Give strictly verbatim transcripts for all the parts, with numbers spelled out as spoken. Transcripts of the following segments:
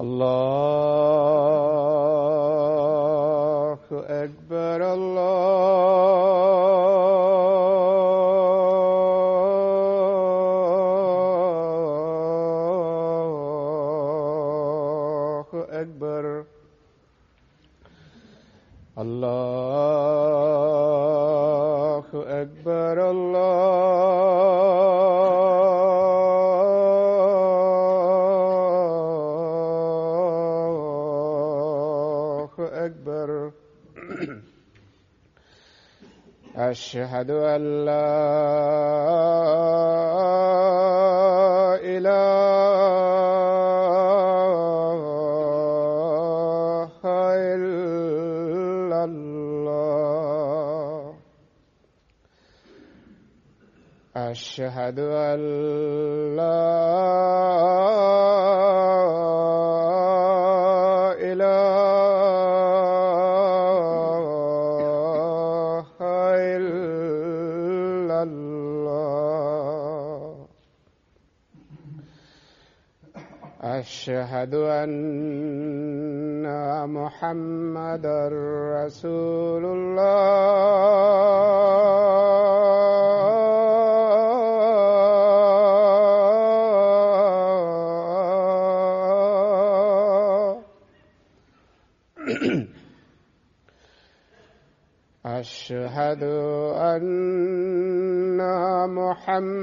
الله أكبر الله أكبر الله أكبر الله أكبر أشهد أن لا إله إلا الله أشهد أن لا إله إلا الله أشهد أن محمدا رسول الله أشهد أن محمدا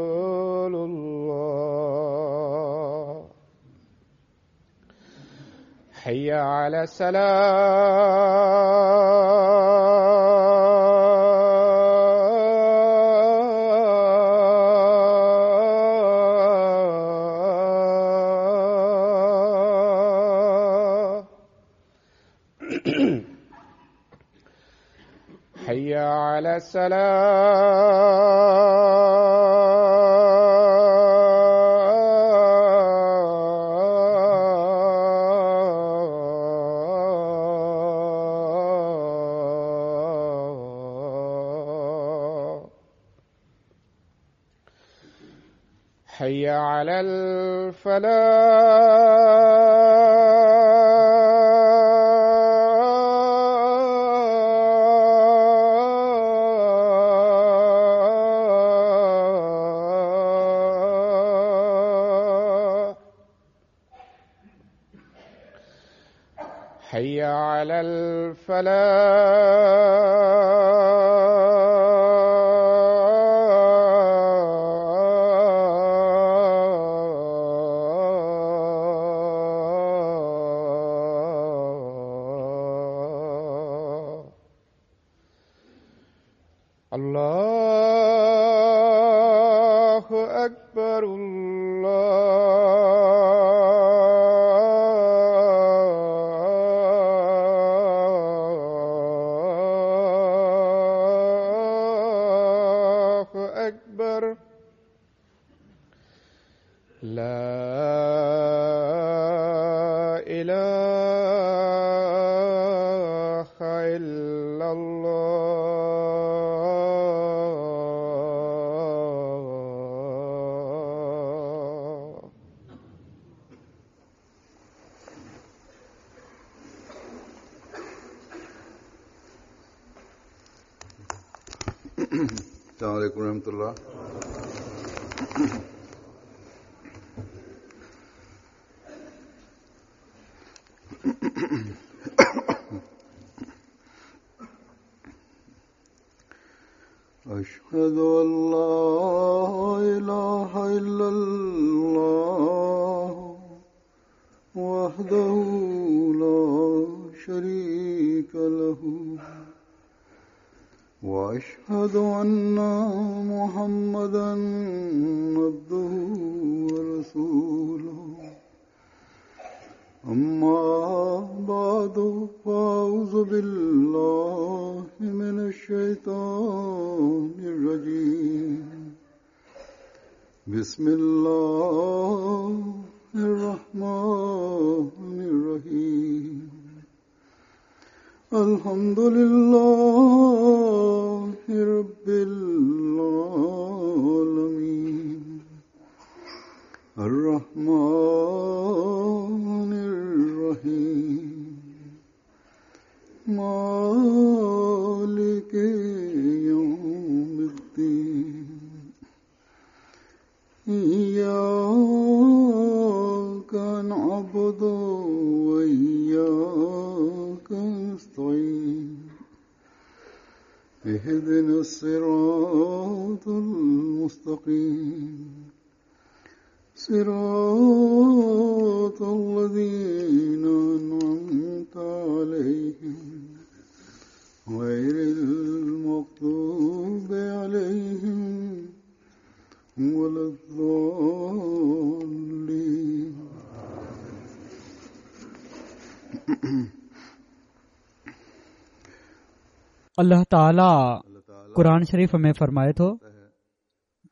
رسول الله حي على السلام حي على السلام حي على الفلاح حي على الفلاح الله أكبر الله أكبر لا إله إلا الله السلام عليكم ورحمة الله. أشهد أن لا إله إلا الله وحده لا شريك له وأشهد أن محمدا عبده ورسوله. أما بعد فأعوذ بالله من الشيطان الرجيم. بسم الله الرحمن الرحيم. الحمد لله رب العالمين الرحمن الرحيم مالك يوم الدين إياك نعبد وإياك نستعين اهدنا الصراط المستقيم صراط الذين أنعمت عليهم غير المغضوب عليهم ولا الضالين. الله تعاليٰ قرآن شريف ۾ فرمائي ٿو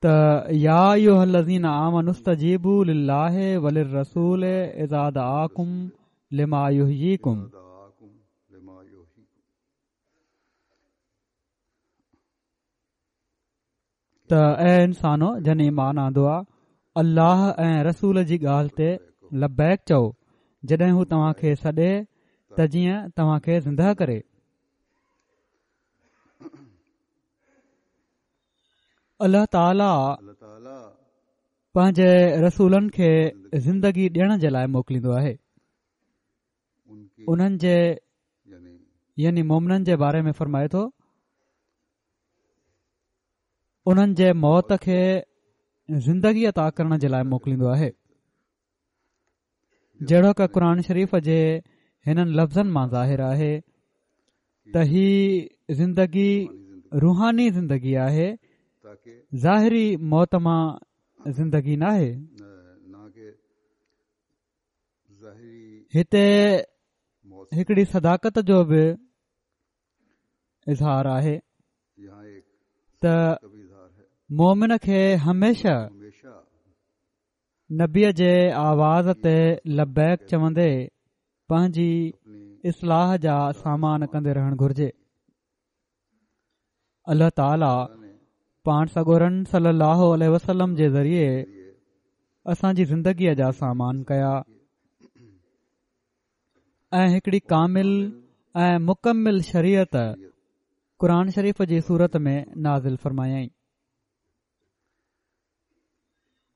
ته يا ايها الذين آمنوا استجيبوا لله وللرسول اذا دعاكم لما يحييكم. ته اي انسانو جن ايمان آندو آ، الله ۽ رسول جي ڳالهه تي لبيڪ چئو جڏهن هو توهان کي سڏي ته جيئن توهان کي زنده ڪري. الله تعاليٰ پنهنجي رسولن کي زندگي ڏيڻ جي لاءِ موڪليندو آهي. انهن جي يعني مومنن جي باري ۾ فرمائي ٿو انهن جي موت کي زندگي عطا ڪرڻ جي لاءِ موڪليندو آهي. جهڙوڪ قرآن شريف جي هنن لفظن مان ظاهر آهي ته هي زندگي روحاني زندگي آهي، ظاهري موت مان زندگي ناهي. هتي هڪڙي صداقت جو به اظهار آهي ته مومن کي هميشه نبيءَ جي آواز تي لبيڪ چوندي پنهنجي اصلاح جا سامان ڪندي رهڻ گهرجي. الله تعاليٰ پاڻ سڳورن صلي الله عليه وسلم جي ذريعي اسان جي زندگيءَ جا سامان ڪيا ۽ هڪڙي ڪامل ۽ مڪمل شريعت قرآن شريف جي صورت ۾ نازل فرمايائين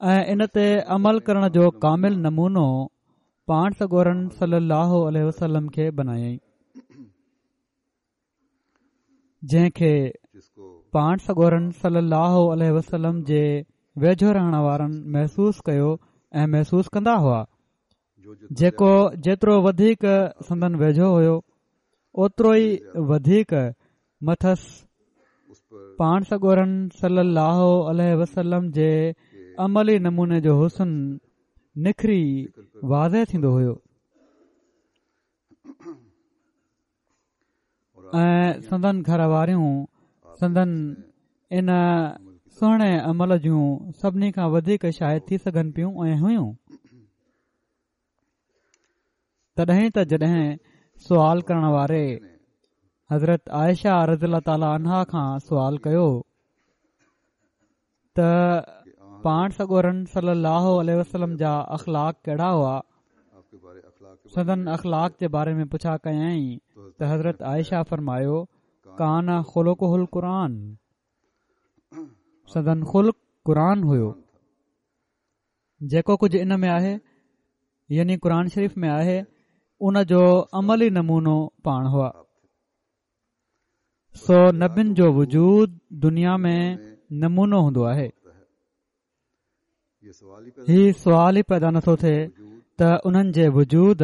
۽ ان تي عمل ڪرڻ جو ڪامل نمونو پاڻ سڳورن صلي الله عليه وسلم کي بنايائين، جنهن کي پاڻ سڳورن صلي الله عليه وسلم جي ويجهو رهڻ وارن محسوس ڪيو ۽ محسوس ڪندا هئا. جيڪو جيترو وڌيڪ سندن ويجهو هيو اوترو ئي وڌيڪ مٿس پاڻ سڳورن صلي الله عليه وسلم جي عملي نموني جو حسن نکري واضح ٿيندو هيو ۽ سندن گهر واريون سندن ان سهڻي عمل جون سڀني کان وڌيڪ شاهد ٿي سگهن پيون ۽ هيون. تڏهن ته جڏهن سوال ڪرڻ واري حضرت عائشه رضي الله تعاليٰ عنها کان سوال ڪيو ته پاڻ سڳورن صلي الله عليه وسلم جا اخلاق ڪهڙا هئا، سندن اخلاق جي باري ۾ پڇا ڪيائين ته حضرت عائشه فرمايو ڪان خلقه القرآن، سندن خلق قرآن هيو. جيڪو ڪجهه ان ۾ آهي يعني قرآن شريف ۾ آهي ان جو عملي نمونو پاڻ هئا. سو نبين جو وجود دنيا ۾ نمونو هوندو آهي. هي سوال ئي پيدا نٿو ٿئي ته انهن جي وجود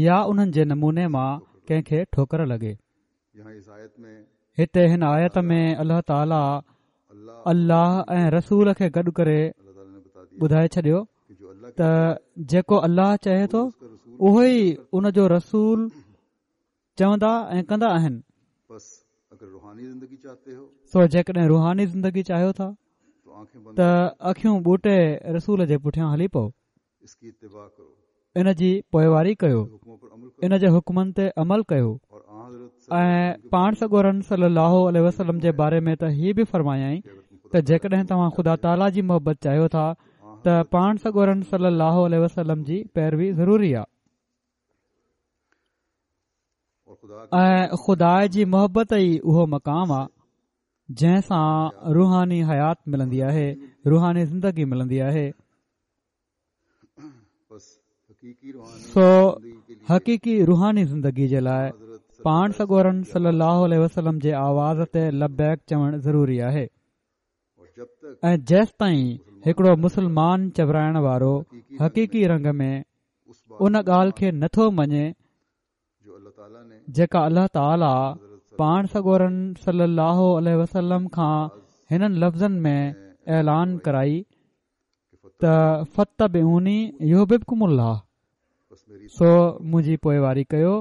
يا انهن جي نموني مان ڪنهن کي ٺوڪر لڳي. هتي هن آيت ۾ الله تعاليٰ الله ۽ رسول کي گڏ ڪري ٻڌائي ڇڏيو ته جيڪو الله چاهي ٿو اهو ئي ان جو رسول چوندا ۽ ڪندا آهن. سو جيڪڏهن روحاني زندگي چاهيو ٿا ته اکيون ٻوٽي رسول جي پٺيان هلي پئو، ان جي پوئواري ڪيو، ان جي حڪمن تي عمل ڪيو. ۽ پاڻ سڳورن صلي الله عليه وسلم جي باري ۾ ته هي به فرمايائين ته جيڪڏهن توهان خدا تعاليٰ جي محبت چاهيو ٿا ته پاڻ سڳورن صلي الله عليه وسلم جي پيروي ضروري آهي. ۽ خدا جي محبت ئي اهو مقام آهي جنهن سان روحاني حيات ملندي آهي، روحاني زندگي ملندي آهي. سو حقيقي روحاني زندگي جي لاء پاڻ سڳورن صلي الله عليه وسلم جي آواز تي لبيڪ چوڻ ضروري آهي. ۽ جيستائين هڪڙو مسلمان چورائڻ وارو حقيقي رنگ ۾ ان ڳالهه کي نٿو مڃي جيڪا الله تعاليٰ پاڻ سڳورن صلي الله عليه وسلم کان هنن لفظن ۾ اعلان ڪرائي ته فاتبعوني يحببڪم الله، سو منهنجي پوئواري ڪيو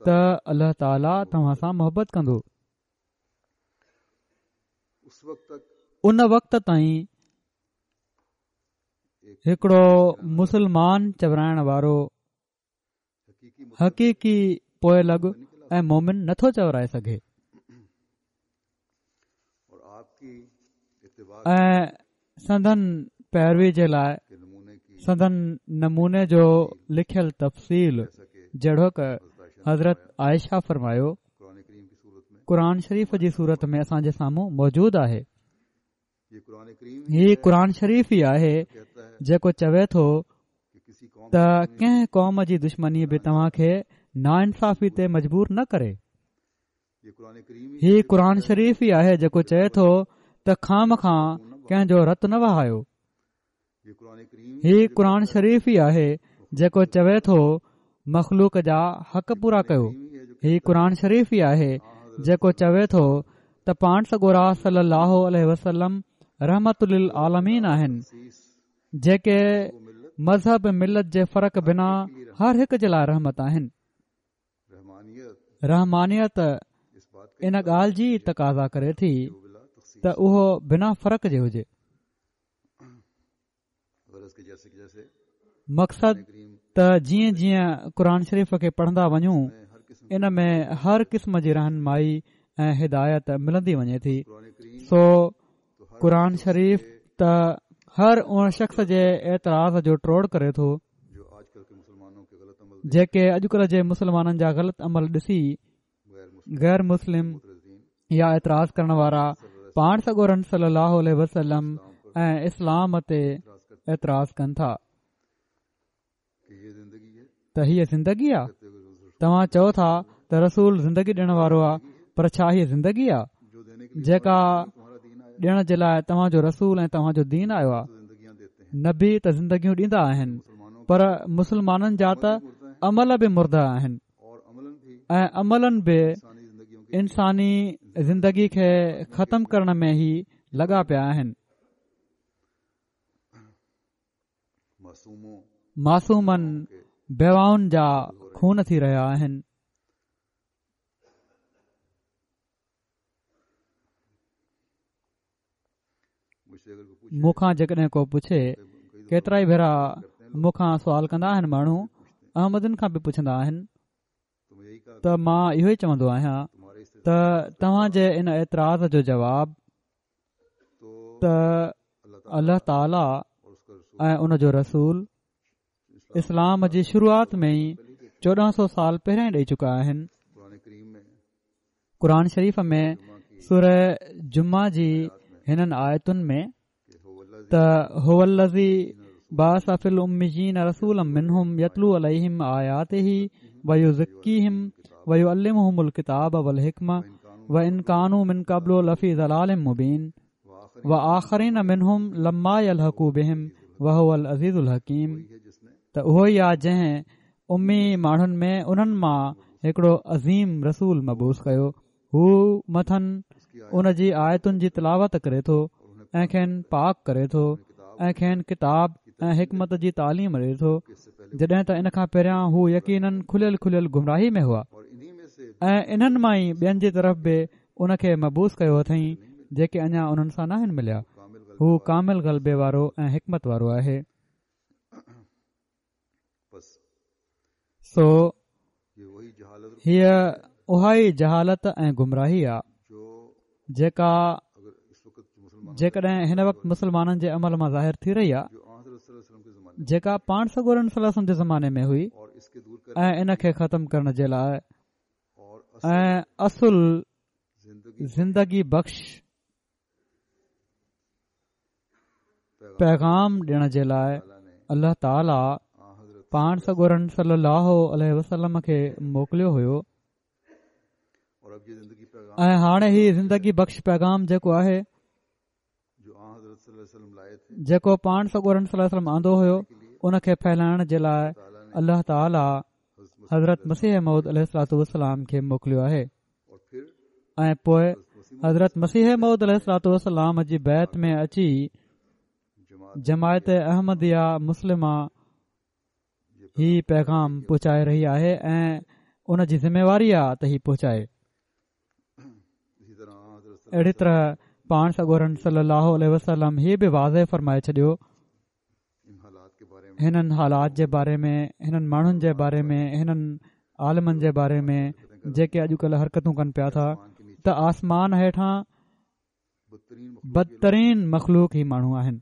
ته الله تعاليٰ توهان سان محبت ڪندو. ان وقت تائين هڪڙو مسلمان چورائڻ وارو حقيقي پوئلڳ ۽ مومن نٿو چورائي سگهي ۽ سندن پيروي جي لاء سندن نموني جو لکيل تفصيل جهڙوڪ حضرت عائشه فرمايو قرآن شريف جي صورت ۾ اسان جي سامهون موجود آهي. هي قرآن شريف ئي آهي جيڪو چوي ٿو ته ڪنهن قوم جي دشمني به توهان کي ناانصافي تي مجبور نه ڪري. هي قرآن شريف ئي آهي جيڪو چئي ٿو ته خوامخواه ڪنهن جو رت نه وهايو. هي قرآن شريف ئي آهي جيڪو چوي ٿو مخلوق جا حق پورا ڪيو. هي قرآن شريف ئي آهي جيڪو چوي ٿو ته پاڻ سڳورا صلي الله عليه وسلم رحمت للعالمين آهن، جيڪي مذهب ملت جي فرق بنا هر هڪ جي لاء رحمت آهن. رحمانيت ان ڳالهه جي تقاضا ڪري ٿي ته اهو بنا فرق جي هجي. مقصد ته جيئن جيئن قرآن شريف کي پڙهندا وڃون ان ۾ هر قسم جي رهنمائي ۽ هدايت ملندي وڃي ٿي. سو قرآن شريف ته هر ان شخص جي اعتراض جو ٽوڙ ڪري ٿو جيڪي اڄڪلهه جي مسلمانن جا غلط عمل ڏسي غير مسلم يا اعتراض ڪرڻ وارا پاڻ سڳورن صلي الله عليه وسلم ۽ اسلام تي اعتراض ڪن ٿا ته هيء زندگي آ. توهان چئو ٿا ته رسول زندگي ڏيڻ وارو آ، پر ڇا هيء زندگي آ جيڪا ڏيڻ جي لاء توهان جو رسول ۽ توهان جو دين آيو آ؟ نبي ته زندگيون ڏيندا آهن، پر مسلمانن جا ته عمل به مرده آهن ۽ عملاً به انساني زندگي کي ختم ڪرڻ ۾ ئي لڳا پيا آهن. معصومن بيواهن جا خون ٿي رهيا آهن. مون کان جيڪڏهن ڪو پڇي، ڪيترائي ڀيرا مون کان سوال ڪندا آهن ماڻهو، احمدين کان به پڇندا آهن ته مان اهو ئي چوندو آهيان ته توهان جي ان اعتراض جو جواب ته الله تعاليٰ ۽ ان جو رسول اسلام جي شروعات ۾ ئي چوڏهن سو سال پهريان ئي ڏئي چڪا آهن. قرآن شريف ۾ سوره جمعه جي هنن آيتن ۾ ته هو الذي بعث في الاميين رسولا منهم يتلو عليهم آياته ويزڪيهم ويعلمهم الڪتاب والحڪمة وان ڪانوا من قبل لفي ضلال مبين وآخرين منهم لما يلحقوا بهم وهو العزيز الحڪيم. ته اهو ئي آ جنهن امي ماڻهن ۾ انهن مان هڪڙو عظيم رسول مبعوث ڪيو، هو مٿن ان جي آيتن جي تلاوت ڪري ٿو ۽ کين پاڪ ڪري ٿو ۽ کين ڪتاب ۽ حڪمت جي تعليم ڏئي ٿو، جڏهن ته ان کان پهريان هو يقيناً کليل کليل گمراهي ۾ هئا. ۽ انهن مان ئي ٻين جي طرف به ان کي مبعوث ڪيو اٿئين جيڪي اڃا انهن سان ناهن مليا. هو ڪامل غلبي وارو ۽ حڪمت وارو آهي. سو هيء اها ئي جهالت ۽ گمراهي آهي جيڪا جيڪڏهن هن وقت مسلمانن جي عمل مان ظاهر ٿي رهي آهي، جيڪا پاڻ سڳورن صلي الله عليه وسلم جي زماني ۾ هئي، ۽ ان کي ختم ڪرڻ جي لاء ۽ اصل زندگي بخش پيغام ڏيڻ جي لاء الله تعاليٰ پاڻ سڳورن صلي الله عليه وسلم کي موڪليو هيو. ۽ هاڻي هي زندگي بخش پيغام جيڪو آهي، جيڪو پاڻ سڳورن صلي الله عليه وسلم آندو هيو، ان کي ڦهلائڻ جي لاء الله تعاليٰ حضرت مسيح موعود عليه الصلوة والسلام کي موڪليو آهي. ۽ پوء حضرت مسيح موعود عليه الصلوة والسلام جي بيعت ۾ اچي جماعت احمديه مسلمه هي پيغام پهچائي رهي آهي ۽ ان جي ذميواري آهي ته هي پهچائي. اهڙي طرح پاڻ سڳورن صلي الله عليه وسلم هي به واضح فرمائي ڇڏيو هنن حالات جي باري ۾، هنن ماڻهن جي باري ۾، هنن عالمن جي باري ۾ جيڪي اڄڪلهه حرڪتون ڪن پيا ٿا ته آسمان هيٺان بدترين مخلوق هي ماڻهو آهن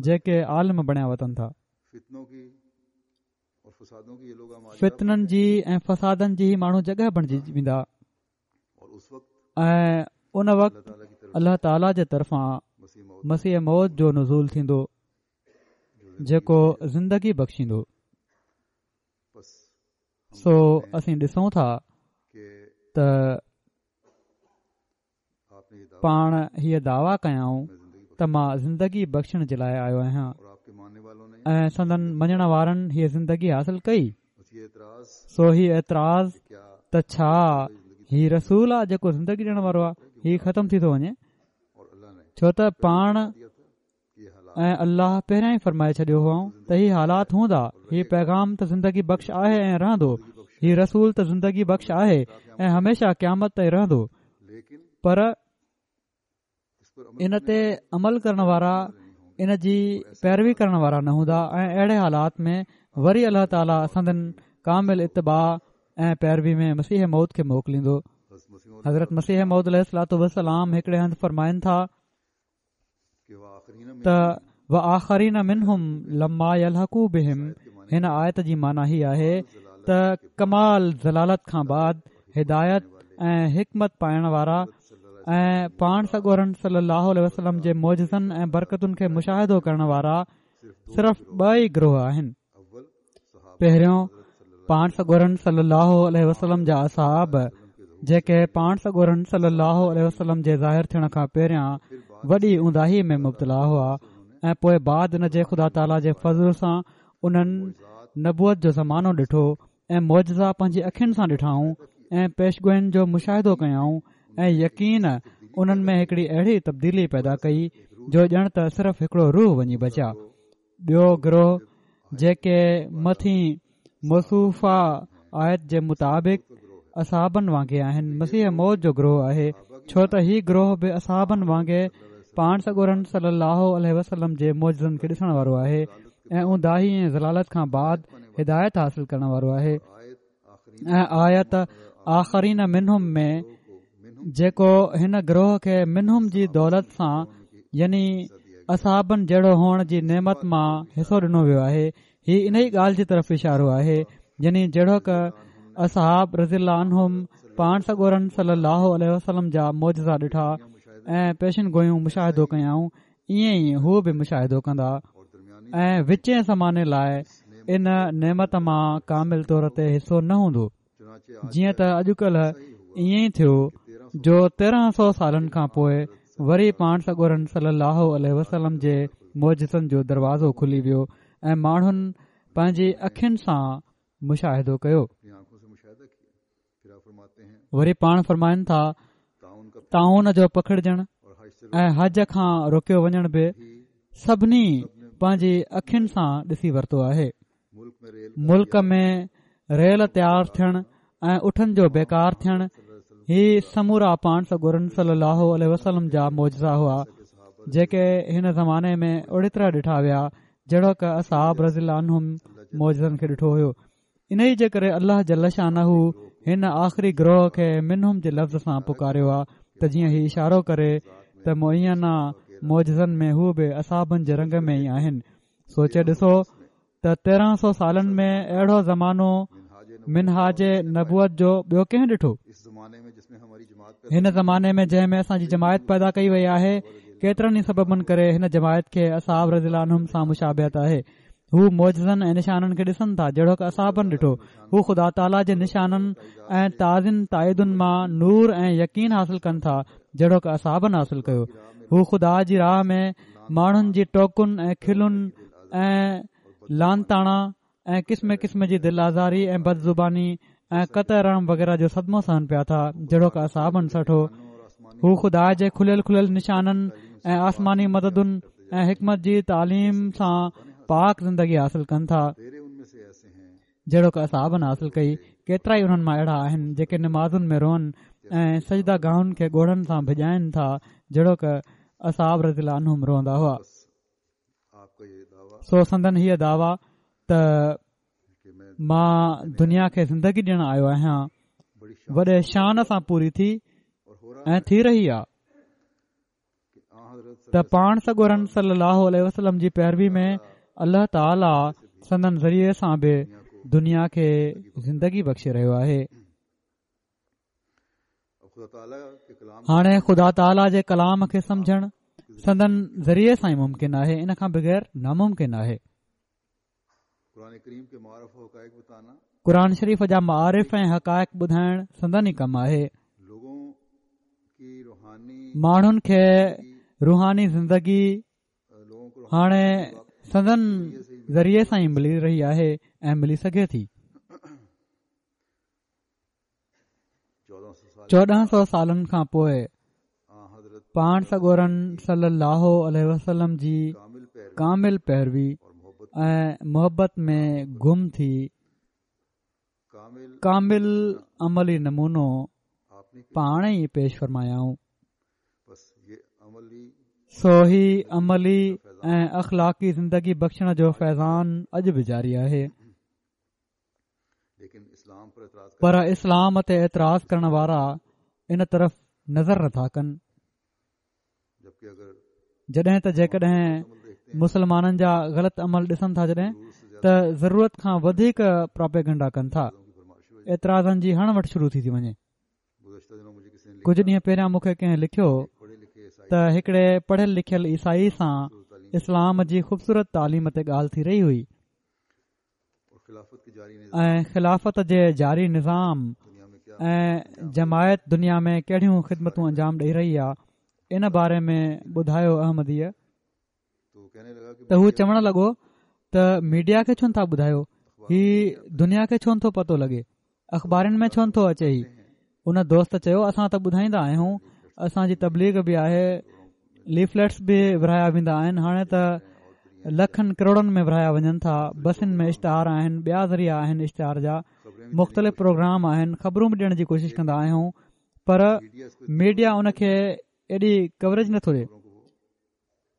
جيڪي عالم بڻيا وتن ٿا. فتنن جي ۽ فسادن جي هي ماڻهو جڳهه بڻجي ويندا ۽ ان وقت الله تعاليٰ جي طرفان مسيح موعود جو نزول ٿيندو جيڪو زندگي بخشيندو. سو اسين ڏسون ٿا ته پاڻ هيء دعويٰ ڪيائون ته مان زندگي بخشڻ جي لاءِ آيو آهيان ۽ سندن مڃڻ وارن هيء زندگي حاصل ڪئي. سو هي اعتراض ته ڇا هي رسول آ جيڪو زندگي ڏيڻ وارو آ، هي ختم ٿي ٿو وڃي، ڇو ته پاڻ ۽ الله پهريان ئي فرمائي ڇڏيو هئائون ته هي حالات هوندا، هي پيغام ته زندگي بخش آهي ۽ رهندو، هي رسول ته زندگي بخش آهي ۽ هميشه قيامت تائين رهندو، پر ان تي عمل ڪرڻ وارا ان جي پيروي ڪرڻ وارا نه هوندا ۽ اهڙي حالات ۾ وري الله تعاليٰ سندن ڪامل اتباع ۽ پيروي ۾ مسيح موعود کي موڪليندو. حضرت مسيح موعود عليه الصلوة والسلام هڪڙي هنڌ فرمائن ٿا ته وآخرين منهم لما يلحقوا بهم، هن آيت جي معنيٰ هي آهي ته ڪمال ضلالت کان بعد هدايت ۽ حڪمت پائڻ وارا ۽ پاڻ سڳورن صلي الله عليه وسلم جي معجزن ۽ برڪتن کي مشاهدو ڪرڻ وارا صرف ٻه ئي گروهه آهن. پهريون پاڻ سڳورن صلي الله عليه وسلم جا اصحاب جيڪي پاڻ سڳورن صلي الله عليه وسلم جي ظاهر ٿيڻ کان پهريان وڏي اونداهي ۾ مبتلا هئا ۽ پوء بعد ان جي خدا تعاليٰ جي فضل سان انهن نبوت جو زمانو ڏٺو ۽ معجزا پنهنجي اکين سان ڏٺائون ۽ پيشگوين جو مشاهدو ڪيائون ۽ يقين انهن ۾ هڪڙي اهڙي تبديلي پيدا ڪئي جو ڄڻ ته صرف هڪڙو روح وڃي بچيا. ٻيو گروهه جيڪي مٿين موصوفه آيت جي مطابق اصحابن وانگي آهن، مسيح موعود جو گروهه آهي، ڇو ته هي گروهه به اصحابن وانگي پاڻ سڳورن صلي الله عليه وسلم جي معجزن کي ڏسڻ وارو آهي ۽ اونداهي ۽ ضلالت کان بعد هدايت حاصل ڪرڻ وارو آهي. ۽ آيت آخرين منهم ۾ جيڪو هن گروهه کي منهم جي دولت سان يعني اصحابن جهڙو هئڻ جي نعمت مان حصو ڏنو ويو آهي، هي انهي ڳالهه جي طرف اشارو آهي، يعني جهڙوڪ اصحاب رضي الله عنهم پاڻ سڳورن صلي الله عليه وسلم جا معجزا ڏٺا ۽ پيشن گويون مشاهدو ڪيائون، ائين ئي هو به مشاهدو ڪندا ۽ وچين زماني لاءِ ان نعمت مان ڪامل طور تي حصو نه هوندو، جيئن ته اڄڪلهه ائين ئي ٿيو جو تيرهن سو سالن کان پوءِ وري پاڻ سڳورن صلي الله عليه وسلم جي معجزن جو دروازو کلي ويو ۽ ماڻهن پنهنجي اکين سان مشاهدو ڪيو. وري پاڻ فرمائن ٿا طاعون جو پکڙجڻ ۽ حج کان روڪيو وڃڻ به سڀني پنهنجي اکين سان ڏسي ورتو آهي. ملڪ ۾ ريل تيار ٿيڻ ۽ اٺن جو بيڪار ٿيڻ هي سمورا پاڻ سڳورن صلي الله عليه وسلم جا معجزا هئا. جيڪي هن زماني ۾ اهڙي طرح ڏٺا ويا جهڙوڪ اصحاب رضي الله عنهم معجزن کي ڏٺو هيو. انهيء جي ڪري الله جل شانه هن آخري گروهه کي منهم جي لفظ سان پڪاريو آهي ته جيئن هي اشارو ڪري ته معينه معجزن ۾ هو به اصحابن جي رنگ ۾ ئي آهن. سوچي ڏسو ته تيرهن سو سالن ۾ اهڙو زمانو منهاج نبوت جو ٻيو ڪنهن ڏٺو؟ هن زماني ۾ جنهن ۾ اسان جي جماعت پيدا ڪئي وئي آهي، ڪيترن ئي سببن ڪري هن جماعت کي اصحاب رضي الله عنهم سان مشابهت آهي. هو معجزن ۽ نشانن کي ڏسن ٿا جهڙوڪ اصحابن ڏٺو. هو خدا تعاليٰ جي نشانن ۽ تازين تائيدن مان نور ۽ يقين حاصل ڪن ٿا جهڙوڪ اصحابن حاصل ڪيو. هو خدا جي راهه ۾ ماڻهن جي ٽوڪن ۽ کلن ۽ لعن طعنا ۽ قسم قسم جي دل آزاري ۽ بدزباني ۽ قطع رحم وغيره جو صدمو سهن پيا ٿا جهڙوڪ اصحابن سٺو. هو خدا جي کليل کليل نشانن ۽ آسماني مددن ۽ حڪمت جي تعليم سان پاڪ زندگي حاصل ڪن ٿا جهڙوڪ اصحابن حاصل ڪئي. ڪيترا ئي انهن مان اهڙا آهن جيڪي نمازن ۾ روئن ۽ سجده گاهن کي ڳوڙهن سان ڀڄائن ٿا جهڙوڪ اصحاب رضي الله عنهم روئندا هئا. سو سندن هيء دعويٰ ته مان دنيا کي زندگي ڏيڻ آيو آهيان وڏي شان سان پوري ٿي ۽ ٿي رهي آهي ته پاڻ سڳورن صلي الله عليه وسلم جي پيروي ۾ الله تعاليٰ سندن ذريعي سان به دنيا کي زندگي بخشي رهيو آهي. هاڻي خدا تعاليٰ جي ڪلام کي سمجهڻ سندن ذريعي سان ئي ممڪن آهي، ان کان بغير ناممڪن آهي. قرآن شريف جا معارف ۽ حقائق ٻڌائڻ سندن ئي ڪم آهي. ماڻهن کي روحاني زندگي هاڻي سندن ذريعي سان ئي ملي رهي آهي ۽ ملي سگهي ٿي. چوڏهن سو سالن کان پوءِ پاڻ سڳورن صلي الله عليه وسلم جي ڪامل پيروي ۽ محبت ۾ گم ٿي ڪامل عملي نمونو پاڻ ئي پيش فرمايائون. سو هي عملي ۽ اخلاقي زندگي بخشڻ جو فيضان اڄ به جاري آهي. پر اسلام تي اعتراض ڪرڻ وارا ان طرف نظر نٿا ڪن. جڏهن ته جيڪڏهن مسلمانن جا غلط عمل ڏسن ٿا جڏهن ته ضرورت کان وڌيڪ پراپيگنڊا ڪن ٿا، اعتراضن جي هڻ وٺ شروع ٿي ٿي وڃي. ڪجهه ڏينهن پهريان مون کي ڪنهن لکيو ته هڪڙي پڙهيل لکيل عيسائي سان اسلام جي خوبصورت تعليم تي ڳالهه ٿي رهي هئي ۽ خلافت جي جاري نظام ۽ جماعت دنيا ۾ ڪهڙيون خدمتون انجام ڏئي رهي آهي ان باري ۾ ٻڌايو احمديء ته هو چوڻ لڳو ته ميڊيا کي ڇو نٿا ٻڌايو، هي دنيا کي ڇو نٿو پتو لڳي، اخبارن ۾ ڇو نٿو اچي هي؟ ان دوست چيو اسان ته ٻڌائيندا آهيون، اسان جي تبليغ به آهي، ليفليٽس به ورهايا ويندا آهن، هاڻي ته لکن ڪروڙن ۾ ورهايا وڃن ٿا، بسن ۾ اشتهار آهن، ٻيا ذريعا آهن اشتهار جا، مختلف پروگرام آهن، خبرون به ڏيڻ جي ڪوشش ڪندا آهيون، پر ميڊيا ان کي ايڏي ڪوريج نٿو ڏئي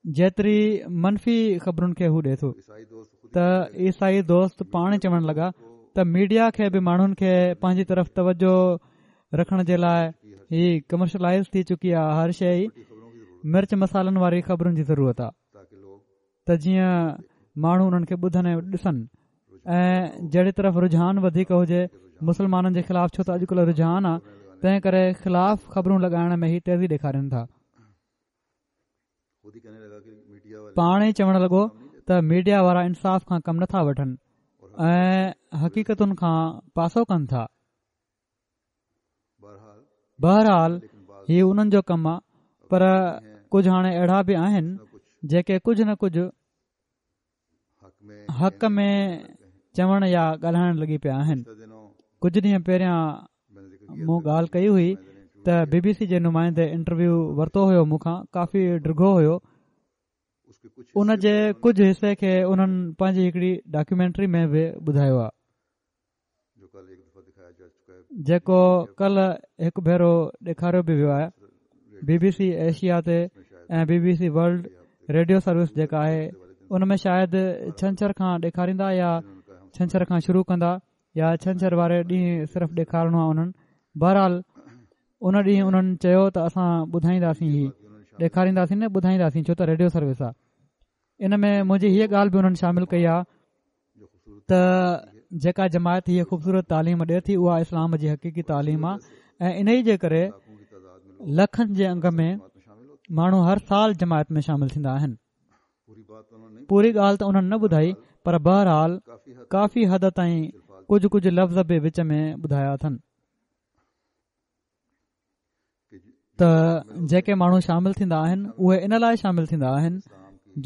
جيتري منفي خبرن کي هو ڏئي ٿو. ته عيسائي دوست پاڻ چوڻ لڳا ته ميڊيا کي به ماڻهن کي پنهنجي طرف توجه رکڻ جي لاءِ هي ڪمرشلائز ٿي چڪي آهي، هر شيءِ مرچ مصالحن واري خبرن جي ضرورت آهي ته جيئن ماڻهو انهن کي ٻڌن ۽ ڏسن ۽ جهڙي طرف رجحان وڌيڪ هجي مسلمانن جي خلاف، ڇو ته اڄڪلهه رجحان آهي تنهن ڪري خلاف خبرون لڳائڻ ۾ هي تيزي ڏيکارين ٿا. پاڻ ئي چوڻ لڳو ته ميڊيا وارا انصاف کان ڪم نٿا وٺن ۽ حقيقتن کان پاسو ڪن ٿا. بهرحال هي انهن جو ڪم آهي، پر ڪجهه هاڻي اهڙا به آهن جيڪي ڪجهه نه ڪجهه حق ۾ چوڻ يا ڳالهائڻ لڳي پيا آهن. ڪجهه ڏينهن پهريان مون ڳالهه ڪئي هئي ته بي بي سي جي نمائندي انٽرويو ورتو هيو مون کان، ڪافي ڊگهو هيو. ان جي ڪجهه حصي کي انهن پنهنجي هڪڙي ڊاڪيومينٽري ۾ به ٻڌايو آهي جيڪو ڪلهه هڪ ڀيرو ڏيکاريو به ويو آهي بي بي سي ايشيا تي ۽ B B C World Radio Service جيڪا آهي ان ۾ شايد ڇنڇر کان ڏيکاريندا يا ڇنڇر کان شروع ڪندا يا ڇنڇر واري ڏينهن صرف ڏيکارڻو آهي انهن. بهرحال ان ڏينهن انهن چيو ته اسان ٻڌائينداسين، هي ڏيکارينداسين نه ٻڌائينداسين، ڇو ته ريڊيو سروس آهي. ان ۾ منهنجي هيءَ ڳالهه به انهن شامل ڪئي آهي ته جيڪا جماعت هيءَ خوبصورت تعليم ڏئي ٿي اها اسلام جي حقيقي تعليم آهي ۽ ان ئي جي ڪري لکن جي انگ ۾ ماڻهو هر سال جماعت ۾ شامل ٿيندا آهن. پوري ڳالهه ته انهن نه ٻڌائي پر بهرحال ڪافي حد تائين ڪجهه ڪجهه لفظ به وچ ۾ ٻڌايا اٿن ته جيڪي ماڻهو شامل ٿيندا آهن اهي ان لاءِ شامل ٿيندا آهن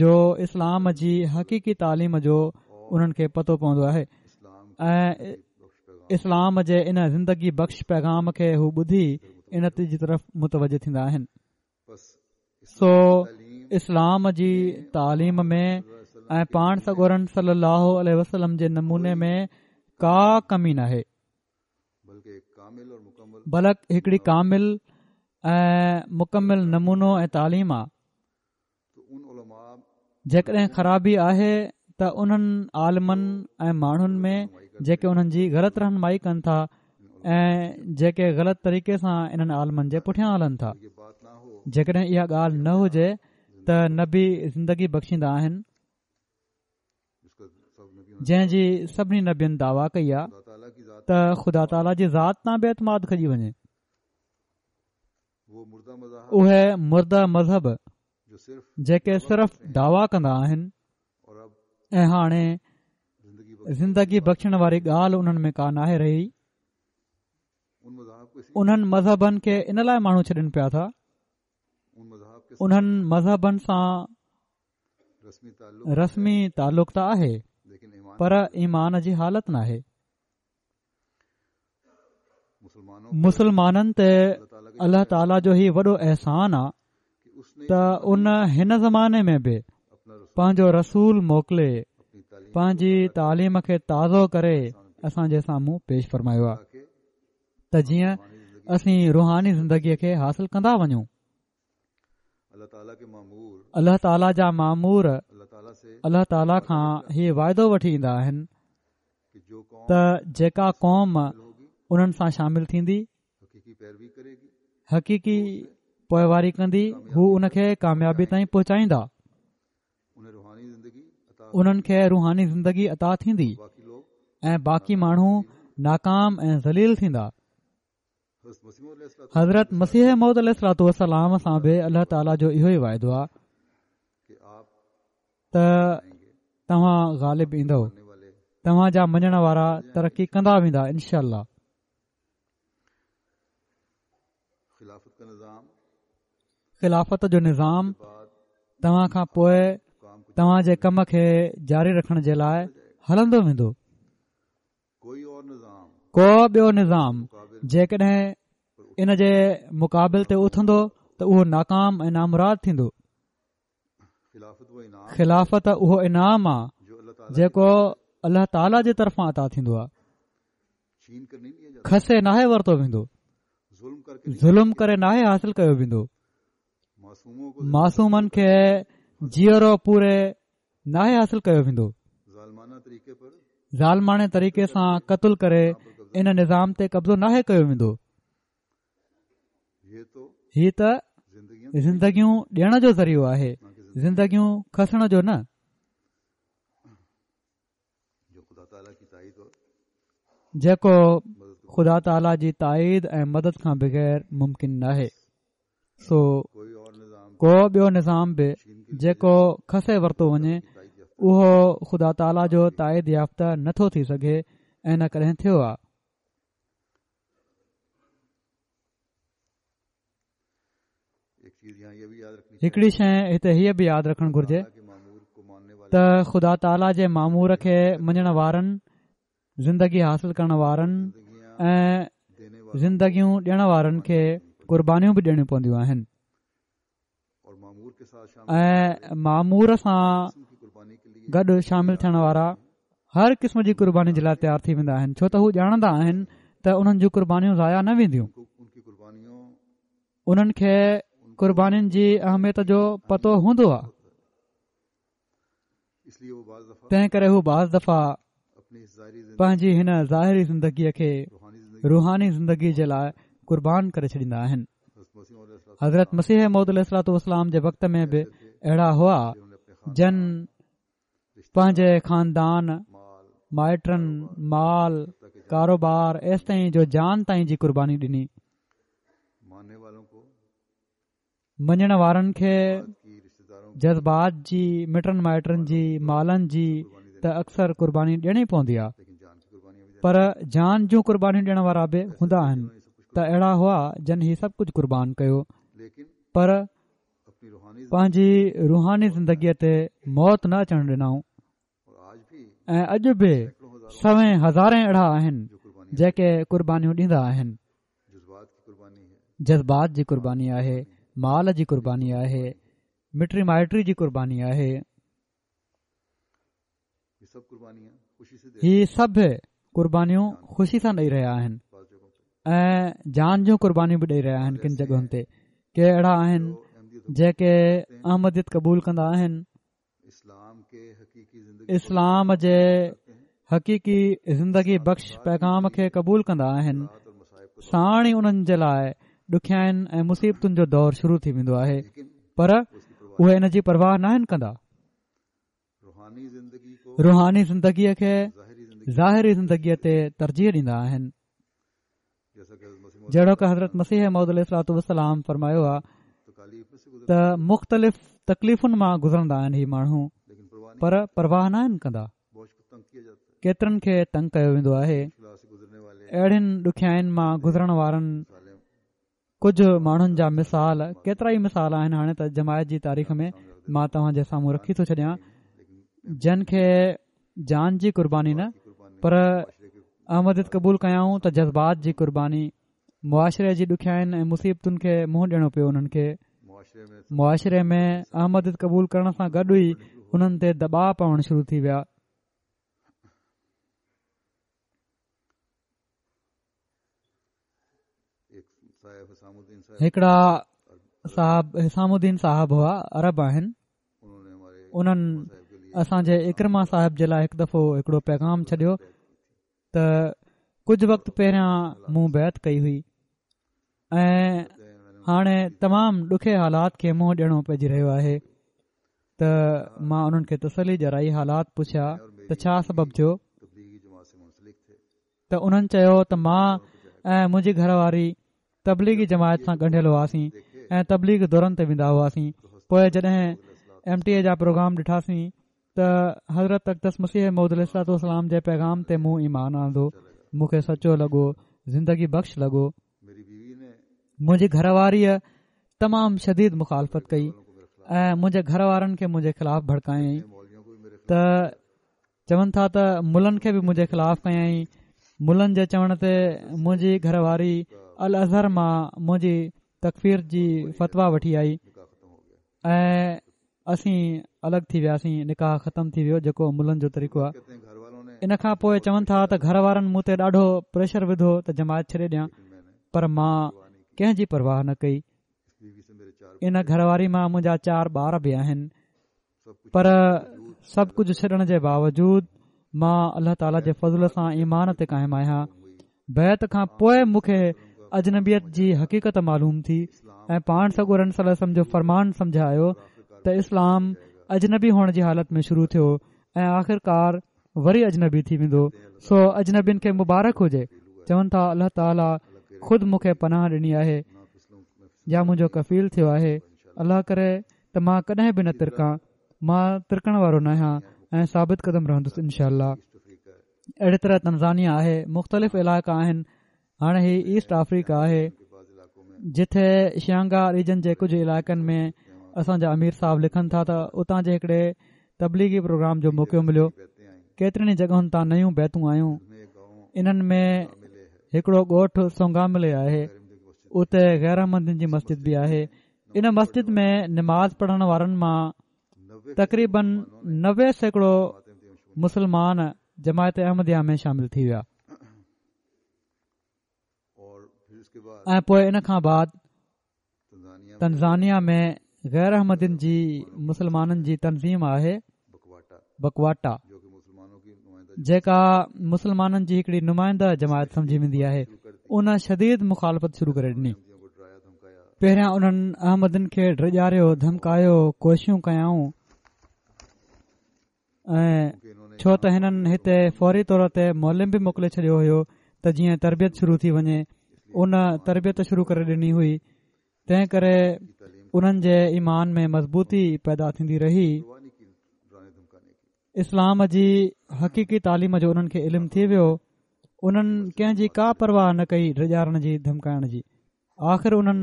جو اسلام جي حقيقي تعليم جو انهن کي پتو پوندو آهي ۽ اسلام جي ان زندگي بخش پيغام کي هو ٻڌي ان جي طرف متوجه ٿيندا آهن. سو اسلام جي تعليم ۾ ۽ پاڻ سڳورن صلي الله عليه وسلم جي نموني ۾ ڪا ڪمي ناهي، بلڪ هڪڙي ڪامل ۽ مڪمل نمونو ۽ تعليم آهي. جيڪڏهن خرابي آهي ته انهن عالمن ۽ ماڻهن ۾ جيڪي انهن جي غلط رهنمائي ڪن ٿا ۽ جيڪي غلط طريقي سان انهن عالمن جي پٺيان هلن ٿا. جيڪڏهن اها ڳالهه نه هجي ته نبي زندگي بخشيندا آهن جنهن جي سڀني نبين دعويٰ ڪئي آهي ته خدا تعاليٰ جي ذات تان به اعتماد کڄي وڃي. اهي مرده مذهب جيڪي صرف دعويٰ ڪندا آهن ۽ هاڻي زندگي بخشڻ واري ڳالهه انهن ۾ ڪا ناهي رهي، انهن مذهبن کي ان لاءِ ماڻهو ڇڏن پيا ٿا. انهن مذهبن سان رسمي تعلق ته آهي پر ايمان جي حالت ناهي. مسلمانن تي الله تعاليٰ جو هي وڏو احسان آهي ته ان هن زماني ۾ به پنهنجو رسول موڪلي پنهنجي تعليم کي تازو ڪري اسان جي سامهون پيش فرمايو آهي ته جيئن اسين روحاني زندگيءَ کي حاصل ڪندا وڃون. الله تعاليٰ جا مامور الله تعاليٰ کان هي واعدو وٺي ايندا آهن ته جيڪا قوم انهن سان شامل ٿيندي، حقيقي پوئواري ڪندي، هو ان کي ڪاميابي تائين پهچائيندا، انهن کي روحاني زندگي عطا ٿيندي ۽ باقي ماڻهو ناڪام ۽ ذليل ٿيندا. حضرت مسيح موعود عليه الصلوة والسلام سان به الله تعاليٰ جو اهو ئي واعدو آهي ته توهان غالب ايندؤ، توهان جا مڃڻ وارا ترقي ڪندا ويندا انشاء الله. خلافت جو نظام توهان کان پوءِ توهان جي ڪم کي جاري رکڻ جي لاءِ هلندو ويندو. ڪو ٻيو نظام جيڪڏهن ان جي مقابل تي اٿندو ته اهو ناڪام ۽ نامراد ٿيندو. خلافت اهو انعام آهي جيڪو الله تعاليٰ جي طرفان عطا ٿيندو آهي، کسي ناهي ورتو ويندو، ظلم ڪري ناهي حاصل ڪيو ويندو، معصومن کي جيئرو پوري ناهي حاصل ڪيو ويندو، ظالماڻي طريقي سان قتل ڪري ان نظام تي قبضو ناهي ڪيو ويندو. هي ته زندگيون ڏيڻ جو ذريعو آهي، زندگيون کسڻ جو نه. جيڪو خدا تعاليٰ جي تائيد ۽ مدد کان بغير ممڪن ناهي. سو ڪو ٻيو نظام به جيڪو کسي ورتو وڃي اهو خدا تعاليٰ جو تائيد يافته نٿو ٿي سگهي ۽ نه ڪڏهن ٿيو آهي. هڪڙي شيءِ هتي هيءَ به ياد رکڻ گهرجي ته خدا تعاليٰ جي مامور کي مڃڻ وارن، زندگي حاصل ڪرڻ وارن ۽ زندگيون ڏيڻ وارن کي قربانيون به ڏيڻيون پونديون آهن ۽ مامور سان گڏ شامل ٿيڻ وارا هر قسم جي قرباني جي لاءِ تيار ٿي ويندا آهن، ڇو ته هو ڄاڻندا آهن ته انهن جون قربانيون ضايع نه وينديون. انهن کي قربانين جي اهميت جو پتو هوندو آهي، تنهن ڪري هو بعض دفعا پنهنجي هن ظاهري زندگيء کي روحاني زندگي جي لاءِ قربان ڪري ڇڏيندا آهن. حضرت مسيح موعود عليه الصلوة والسلام جي وقت ۾ به اهڙا هئا جن پنهنجي خاندان، مائٽن، مال، ڪاروبار ايستائين جو جان تائين جي قرباني ڏني. مڃڻ وارن کي جذبات جي، مٽن مائٽن جي، مالن جي ته اڪثر قرباني ڏيڻي پوندي آهي، پر جان جون قربانيون ڏيڻ وارا به هوندا آهن. ته اهڙا هئا جن هي سڀ ڪجهه قربان ڪيو، پر پنهنجي روحاني زندگيء تي موت نه اچڻ ڏنائون. ۽ اڄ به سوين هزارين اهڙا آهن جيڪي قربانيون ڏيندا آهن. جذبات جي قرباني آهي، مال جي قرباني آهي، مٽي مائٽي جي قرباني آهي. هي سڀ قربانيون خوشي سان ڏئي رهيا آهن ۽ جان جون قربانيون به ڏئي رهيا آهن. ڪن جڳهن تي ڪي اهڙا آهن جيڪي احمديت قبول ڪندا آهن، اسلام جي حقيقي زندگي بخش پيغام کي قبول ڪندا آهن، ساڻ ئي انهن جي لاءِ ڏکيائين ۽ مصيبتن جو دور شروع ٿي ويندو آهي، پر اهي ان جي پرواهه ناهن ڪندا. روحاني زندگيءَ کي ظاهري زندگيءَ تي ترجيح ڏيندا آهن. جهڙوڪ حضرت مسيح موعود عليه الصلوة والسلام فرمايو آهي ته مختلف تڪليفن مان گذرندا آهن هي ماڻهو، پر پرواهه ناهن ڪندا. ڪيترن کي تنگ ڪيو ويندو آهي. اهڙين ڏکيائين مان گذرڻ وارن ڪجهه ماڻهن جا مثال، ڪيترا ئي مثال آهن هاڻي ته جماعت جي تاريخ ۾ مان توهان جي سامهون رکي ٿو ڇڏيان، جن کي جان جي قرباني نه پر احمديت قبول ڪيائون ته جذبات جي قرباني، معاشري جي ڏکيائين ۽ مصيبتن کي منهن ڏيڻو پيو. انهن کي معاشري ۾ احمديت قبول ڪرڻ سان گڏ ئي انهن تي دٻاءُ پوڻ شروع ٿي ويا. هڪڙا صاحب حسام الدين صاحب هئا، عرب آهن. انهن اسان جي عڪرمه صاحب جي لاءِ هڪ دفعو هڪڙو پيغام ڇڏيو ته ڪجهه وقت پهريان مون بيعت ڪئي هئي ۽ هاڻي تمام ڏکي حالات کي منهن ڏيڻو پئجي رهيو آهي. ته مان انهن کي تسلي ڏيارائي، حالات پڇيا ته ڇا سبب ٿيو؟ ته انهن چيو ته مان ۽ منهنجي گهر واري تبليغي جماعت سان ڳنڍيل هئاسين ۽ تبليغ دورن تي ويندا هئاسين. پوءِ جڏهن ايم ٽي اي جا پروگرام ڏٺاسين ته حضرت اقدس مسيح موعود عليه الصلوة والسلام جي پيغام تي مون ايمان آندو. مون کي سچو لڳو، زندگي بخش لڳو. منهنجي گهر واريءَ تمام شديد مخالفت ڪئي ۽ منهنجي گهر وارن کي منهنجي خلاف ڀڙڪايائين. ته چون ٿا ته ملن کي به منهنجي خلاف ڪيائين. ملن جي چوڻ تي منهنجي گهر واري الازهر مان منهنجي تڪفير جي فتويٰ وٺي آئي ۽ اسين الڳ ٿي وياسين، نڪاح ختم ٿي ويو، جيڪو ملن جو طريقو آهي. ان کان پوءِ چون ٿا ته گهر وارن مون تي ڏاڍو پريشر وڌو ته جماعت ڇڏي ڏيان، پر مان ڪنهن جي پرواهه نه ڪئي. ان گهر واري مان منهنجا چار ٻار به آهن، پر سڀ ڪجهه ڇڏڻ جي باوجود مان الله تعاليٰ جي فضل سان ايمان تي قائم آهيان. بيعت کان پوءِ مون کي اجنبيت جي حقيقت معلوم ٿي ۽ پاڻ سڳورن صلي الله عليه وسلم جو فرمان سمجهه آيو ته اسلام اجنبي هئڻ جي حالت ۾ شروع ٿيو ۽ آخرڪار وري اجنبي ٿي ويندو. سو اجنبين کي مبارڪ هجي. چون ٿا الله تعاليٰ خود مون کي پناهه ڏني آهي يا منهنجو ڪفيل ٿيو آهي. الله ڪري ته مان ڪڏهن به نه ترڪان، مان ترڪڻ وارو نه آهيان ۽ ثابت قدم رهندس انشاء الله. اهڙي طرح تنزانيا آهي، مختلف علائقا آهن. هاڻي هي ايسٽ آفريڪا آهي، جتي شيانگا ريجن جي ڪجهه علائقن ۾ اسان جا امير صاحب لکن ٿا ته اتان جي هڪڙي تبليغي پروگرام جو موقعو مليو. ڪيترين ئي جڳهن تان نيون بيعتون آيون. انهن ۾ هڪڙو ڳوٺ سونگاملي آهي، اتي غير احمدين جي مسجد به آهي. ان مسجد ۾ نماز پڙهڻ وارن مان تقريبن نوي سيڪڙو مسلمان جماعت احمديه ۾ شامل ٿي ويا. ۽ پوءِ ان کان بعد تنزانيا ۾ غير احمدين جي مسلمانن جي تنظيم آهي بڪواٽا، جيڪا مسلمانن جي هڪڙي نمائنده جماعت سمجهي ويندي آهي، ان شديد مخالفت شروع ڪري ڏني. پهريان انهن احمدين کي ڊيڄاريو، ڌمڪايو، ڪوششون ڪيائون ۽ ڇو ته هنن هتي فوري طور تي معلم به موڪلي ڇڏيو هيو ته جيئن تربيت شروع ٿي وڃي. ان تربيت شروع ڪري ڏني هئي، تنهن ڪري انهن جي ايمان ۾ مضبوطي پيدا ٿيندي رهي. اسلام جي حقيقي تعليم جو انهن کي علم ٿي ويو. انهن ڪنهن جي ڪا پرواهه نه ڪئي ڊيڄارڻ جي، ڌمڪائڻ جي. آخر انهن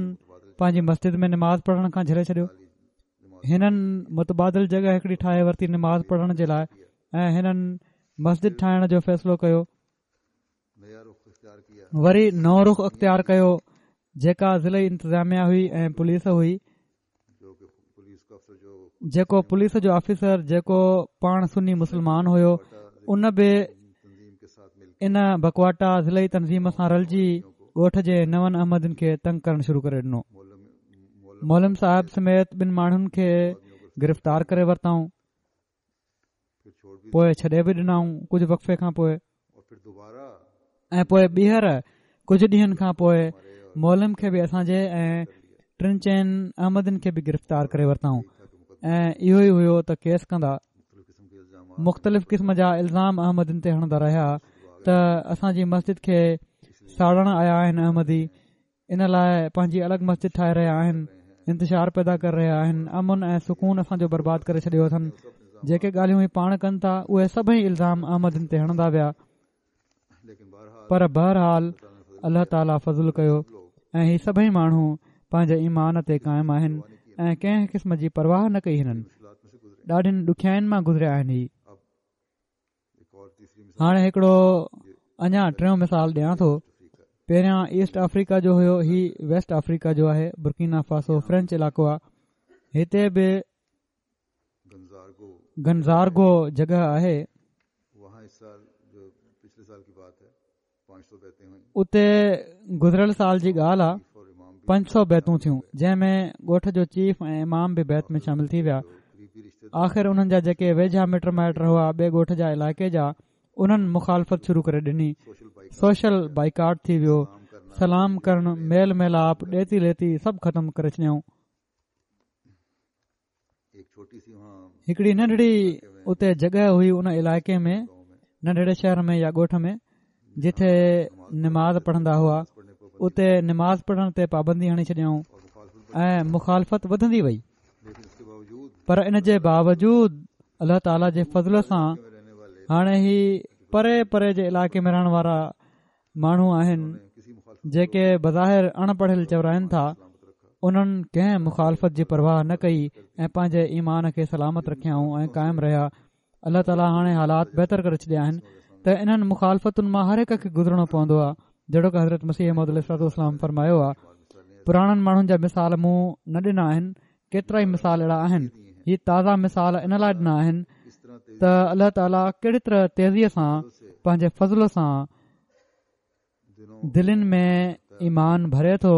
پنهنجي مسجد ۾ نماز پڙهڻ کان جهلي ڇڏيو. هنن متبادل جڳهه هڪڙي ٺاهي ورتي نماز پڙهڻ جي لاءِ ۽ هنن مسجد ٺاهڻ جو فيصلو ڪيو. وري نئون رخ اختيار ڪيو، جيڪا ضلعي انتظاميا هئي ۽ پوليس هئي. جيڪو پوليس جو آفيسر جيڪو پاڻ سني مسلمان هيو، ان به ان بڪواٽا ضلعي تنظيم سان رلجي ڳوٺ جي نون احمدين کي تنگ ڪرڻ شروع ڪري ڏنو. معلم صاحب سميت ٻن ماڻهن کي گرفتار ڪري ورتائون، پوءِ ڇڏي به ڏنائون ڪجهه وقفي کان پوءِ، ۽ پوءِ ٻيهر ڪجهه ڏينهن کان پوءِ معلم کي به اسان جي ۽ ٽن چئن احمدين کي به گرفتار ڪري ورتائون. ۽ اهو ئي هيو ته ڪيس ڪندا، مختلف قسم جا الزام احمدين تي هڻندا رهيا ته اسان جي مسجد کي ساڙڻ آيا آهن احمدي، ان لاءِ پنهنجي الڳ مسجد ٺاهي رهيا آهن، انتشار پيدا ڪري رهيا آهن، امن ۽ سڪون اسان جو برباد ڪري ڇڏيو اٿن. جيڪي ڳالهيون هي پاڻ ڪن ٿا اهي سڀئي الزام احمدين تي هڻندا ويا. پر بهرحال الله تعاليٰ فضل ڪيو ۽ هي سڀئي ماڻهو پنهنجي ايمان تي قائم آهن ۽ ڪنهن قسم جي پرواهه نه ڪئي. هنن ڏاڍين ڏکيائين مان گذريا آهن. هي هاڻي هڪڙو اڃا ٽيون مثال ڏيان ٿو. پهريان ايسٽ آفريڪا جو هيو، هي ويسٽ آفريڪا جو آهي، برڪينا فاسو فرينچ علائقو آهي. هتي به گنزارگو جڳهه آهي. اتي گذريل سال جي ڳالهه آهي، پنج سؤ بيعتون ٿيون، جنهن ۾ ڳوٺ جو چيف ۽ امام به بيعت ۾ شامل ٿي ويا. آخر انهن جا جيڪي ويجها مٽ مائٽ هئا ٻئي ڳوٺ جا علائقي جا، انهن مخالفت شروع ڪري ڏني. سوشل بائيڪاٽ ٿي ويو، سلام ڪرڻ، ميل ميلاپ، ڏيتي ليتي سڀ ختم ڪري ڇڏيائون. هڪڙي ننڍڙي اتي جڳهه هئي ان علائقي ۾ ننڍڙي شهر ۾ يا ڳوٺ ۾ جتي نماز پڙهندا هئا، اتي نماز پڙهڻ تي پابندي هڻي ڇڏيائون ۽ مخالفت وڌندي وئي. پر ان جي باوجود الله تعاليٰ جي فضل سان هاڻي هي پري پري جي علائقي ۾ رهڻ وارا ماڻهو آهن جيڪي بظاهر اڻ پڙهيل چورائن ٿا، انهن ڪنهن مخالفت جي پرواهه نه ڪئي ۽ پنهنجي ايمان کي سلامت رکيائون ۽ قائم رهيا. الله تعاليٰ هاڻي حالات بهتر ڪري ڇڏيا آهن ته انهن مخالفتن مان هر هڪ کي گذرڻو پوندو آهي، جهڙوڪ حضرت مسيح موعود عليه الصلوة والسلام فرمايو آهي. پراڻن ماڻهن جا مثال مون نه ڏنا آهن، ڪيترا ئي مثال اهڙا آهن. هي تازا مثال ان لاءِ ڏنا آهن ته الله تعاليٰ ڪهڙي طرح تيزيءَ سان پنهنجي فضل سان دلين ۾ ايمان ڀري ٿو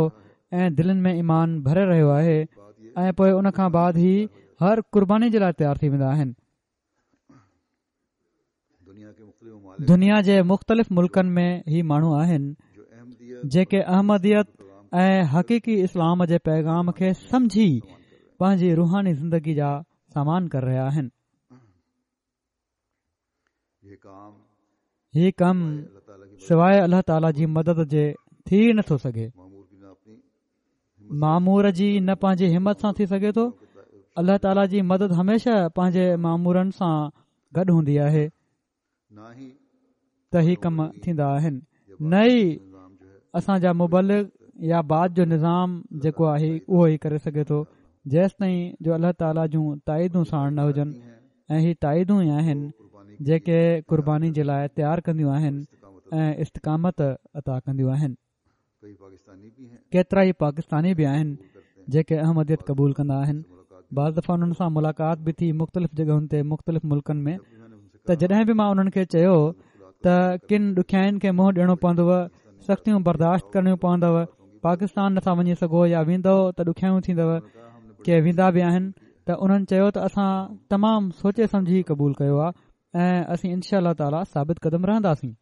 ۽ دلين ۾ ايمان ڀري رهيو آهي ۽ پوءِ ان کان بعد هي هر قرباني جي لاءِ تيار ٿي ويندا آهن. دنيا جي مختلف ملڪن ۾ هي ماڻهو آهن جيڪي احمديت ۽ حقيقي اسلام جي پيغام کي سمجهي پنهنجي روحاني زندگي جا سامان ڪري رهيا آهن. هي ڪم سواءِ الله تعاليٰ جي مدد جي ٿي نٿو سگهي. مامور جي نه پنهنجي همت سان ٿي سگهي ٿو. الله تعاليٰ جي مدد هميشه پنهنجي مامورن سان گڏ هوندي آهي ته هي ڪم ٿيندا آهن. نه ئي اسان جا مبلغ يا بعد جو نظام جيڪو آهي اهو ئي ڪري سگهي ٿو، جيستائين جو الله تعاليٰ جون تائيدون ساڻ نه هجن. ۽ هي تائيدون ئي آهن جيڪي قرباني جي لاءِ تيار ڪنديون آهن ۽ استقامت عطا ڪنديون آهن. ڪيترا ئي پاڪستاني به آهن جيڪي احمديت قبول ڪندا آهن. بعض دفعا انهن سان ملاقات به ٿي مختلف جڳهن تي مختلف ملڪن ۾، ته جڏهن به مان انهن کي چيو ته ڪن ڏکيائين کي منهن ڏيڻو پوندو، سختيون برداشت ڪرڻيون پوندو، پاڪستان نٿا وڃي سگهو يا ويندؤ ته ڏکيائيون ٿيندو، ڪي ويندا به آهن. ته انهن چيو ته اسان تمام سوچي سمجهي قبول ڪيو آهي ۽ اسين انشاء الله تعاليٰ ثابت قدم رهنداسين.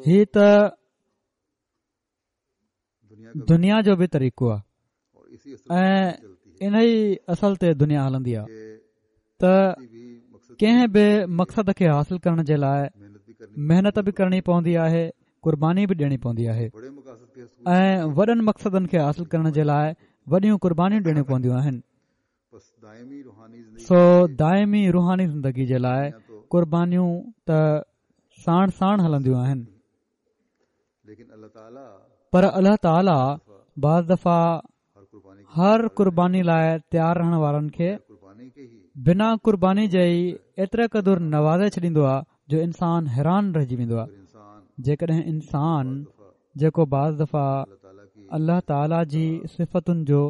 هي ته دنيا جو به طريقو آهي ۽ ان ئي اصل تي دنيا هلندي آهي ته ڪنهن به مقصد کي حاصل ڪرڻ جي لاءِ محنت به ڪرڻي پوندي آهي، قرباني به ڏيڻي پوندي آهي ۽ وڏن مقصدن کي حاصل ڪرڻ جي لاءِ وڏيون قربانيون ڏيڻيون پونديون آهن. سو دائمي روحاني زندگي جي لاءِ قربانيون ته ساڻ ساڻ هلنديون آهن، پر الله تعاليٰ بعض دفعا هر قرباني لاءِ تيار رهڻ وارن کي بنا قرباني جي ئي ايتري قدر نوازي ڇڏيندو آهي جو انسان حيران رهجي ويندو آهي. جيڪڏهن انسان جيڪو بعض دفعا الله تعاليٰ جي صفتن جو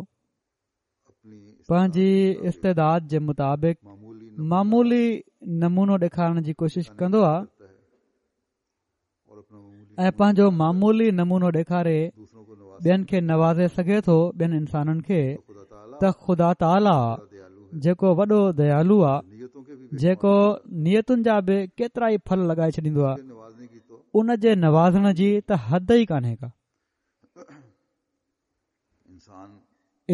پنهنجي استعداد جي مطابق معمولي نمونو ڏيکارڻ جي ڪوشش ڪندو آهي ۽ پنهنجو معمولي نمونو ڏيکاري ٻين کي نوازي سگهي ٿو، ٻين انسانن کي، ته خدا تعاليٰ جيڪو وڏو ديالو آهي، جيڪو نيتن جا به ڪيترا ئي ڦل لڳائي ڇڏيندو آهي، ان جي نوازڻ جي ته حد ئي ڪانهي ڪا.